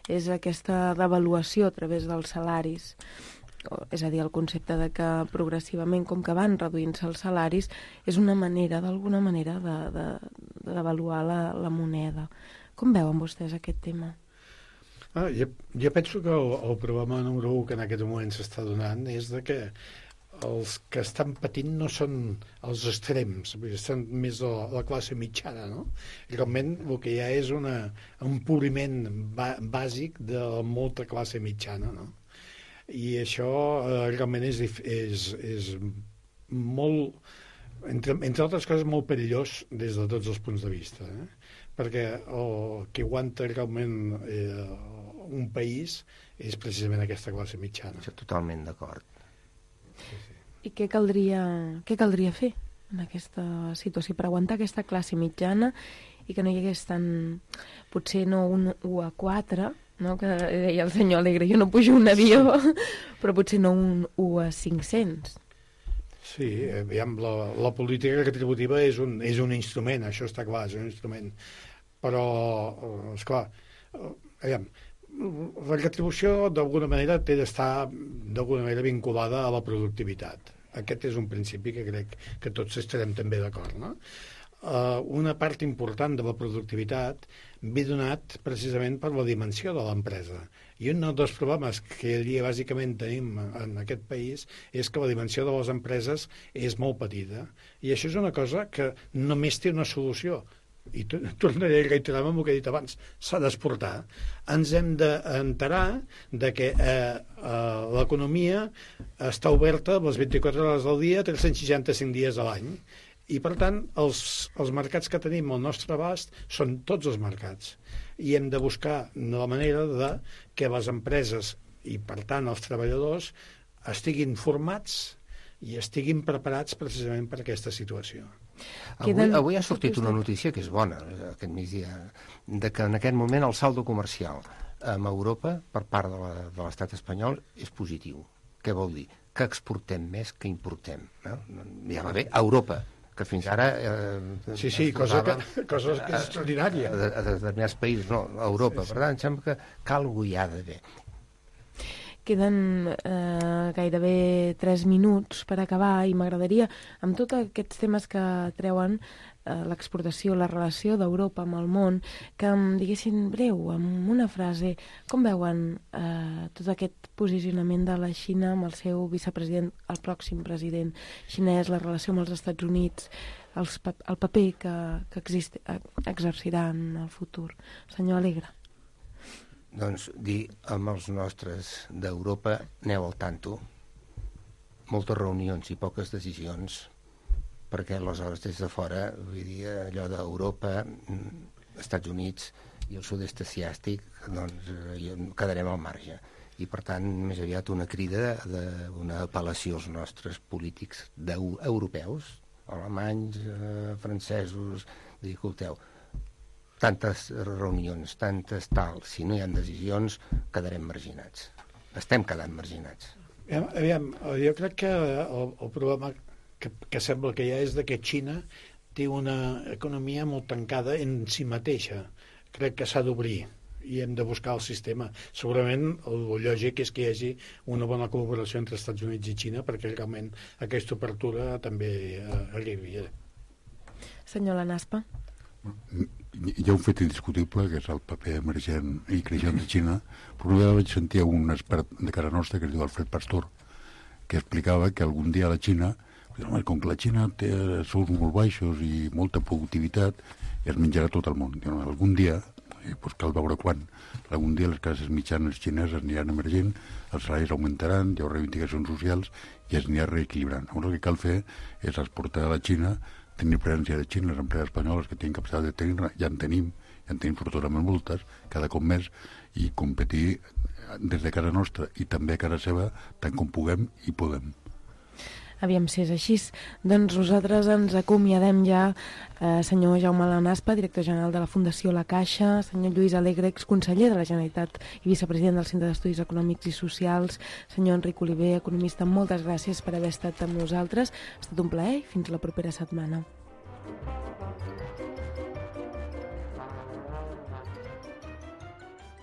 és aquesta devaluació a través dels salaris. És a dir, el concepte de que progressivament, com que van reduint-se els salaris, és una manera, d'alguna manera, de, de, de devaluar la, la moneda. Com veuen vostès aquest tema? Ah, jo, jo penso que el, el problema número un que en aquest moment s'està donant és de que els que estan patint no són els extrems, estan més a la, la classe mitjana, no? Realment el que hi ha és una, un empobriment bàsic de molta classe mitjana, no? I això eh, realment és, és, és molt, entre, entre altres coses, molt perillós des de tots els punts de vista, eh? Perquè el que aguanta realment eh, un país és precisament aquesta classe mitjana. Això totalment d'acord. Sí, sí. I què caldria, què caldria fer en aquesta situació per aguantar aquesta classe mitjana i que no hi hagués tant, potser no un u a quatre, no? Que deia el senyor Alegre, jo no pujo un avió, però potser no un u a cinc-cents. Sí, aviam, la, la política retributiva és un, és un instrument, això està clar, és un instrument. Però, esclar, aviam, la retribució d'alguna manera té d'estar d'alguna manera vinculada a la productivitat. Aquest és un principi que crec que tots estarem també d'acord, no? Uh, una part important de la productivitat ve donat precisament per la dimensió de l'empresa. I un dels problemes que dia bàsicament tenim en aquest país és que la dimensió de les empreses és molt petita. I això és una cosa que només té una solució. I tornaré a reiterar amb el que he dit abans, s'ha d'exportar. Ens hem d'enterar de que eh, eh, l'economia està oberta les vint-i-quatre hores del dia, tres-cents seixanta-cinc dies a l'any. I, per tant, els, els mercats que tenim al nostre abast són tots els mercats. I hem de buscar la manera de que les empreses i, per tant, els treballadors estiguin formats i estiguin preparats precisament per aquesta situació. Avui, avui ha sortit una notícia que és bona, aquest migdia, de que en aquest moment el saldo comercial amb Europa per part de l'estat espanyol és positiu. Què vol dir? Que exportem més que importem. No? Ja va bé, a Europa, que fins ara... Eh, sí, sí, cosa que, cosa que és extraordinària. A, a determinats països, no, a Europa. Sí, sí. Per tant, em sembla que, que alguna hi ha d'haver. Queden eh, gairebé tres minuts per acabar i m'agradaria, amb tots aquests temes que treuen, eh, l'exportació, la relació d'Europa amb el món, que em diguessin breu, amb una frase, com veuen eh, tot aquest posicionament de la Xina amb el seu vicepresident, el pròxim president xinès, la relació amb els Estats Units, els, el paper que, que existe, exercirà en el futur? Senyor Alegre. Doncs dir amb els nostres d'Europa, aneu al tanto, moltes reunions i poques decisions, perquè aleshores des de fora, vull dir, allò d'Europa, Estats Units i el sud-est asiàtic, doncs quedarem al marge. I per tant, més aviat una crida, una apel·lació als nostres polítics europeus, alemanys, eh, francesos, dir, escolteu, tantes reunions, tantes tal, si no hi ha decisions, quedarem marginats. Estem quedant marginats. Aviam, aviam, jo crec que el, el problema que, que sembla que hi ha és que Xina té una economia molt tancada en si mateixa. Crec que s'ha d'obrir i hem de buscar el sistema. Segurament el lògic és que hi hagi una bona col·laboració entre Estats Units i Xina perquè realment aquesta obertura també eh, arribi. Senyor Lanaspa. Hi ha un fet indiscutible, que és el paper emergent i creixent de Xina, però una vegada vaig sentir un expert de casa nostra, que es diu Alfred Pastor, que explicava que algun dia la Xina, com que la Xina té sous molt baixos i molta productivitat, es menjarà tot el món. Algun dia, eh, doncs cal veure quan, algun dia les classes mitjanes xineses aniran emergent, els salaris augmentaran, hi haurà reivindicacions socials i es anirà reequilibrant. Llavors el que cal fer és exportar a la Xina, tenir presència de Xina, les empreses espanyoles que tenen capacitat de tenir, ja en tenim, ja en tenim fortosament moltes, cada cop més, i competir des de casa nostra i també a casa seva tant com puguem i podem. Aviam si és així. Doncs nosaltres ens acomiadem ja, eh, senyor Jaume Lanaspa, director general de la Fundació La Caixa, senyor Lluís Alegre, exconseller de la Generalitat i vicepresident del Centre d'Estudis Econòmics i Socials, senyor Enric Oliver, economista, moltes gràcies per haver estat amb nosaltres. Ha estat un plaer i fins la propera setmana.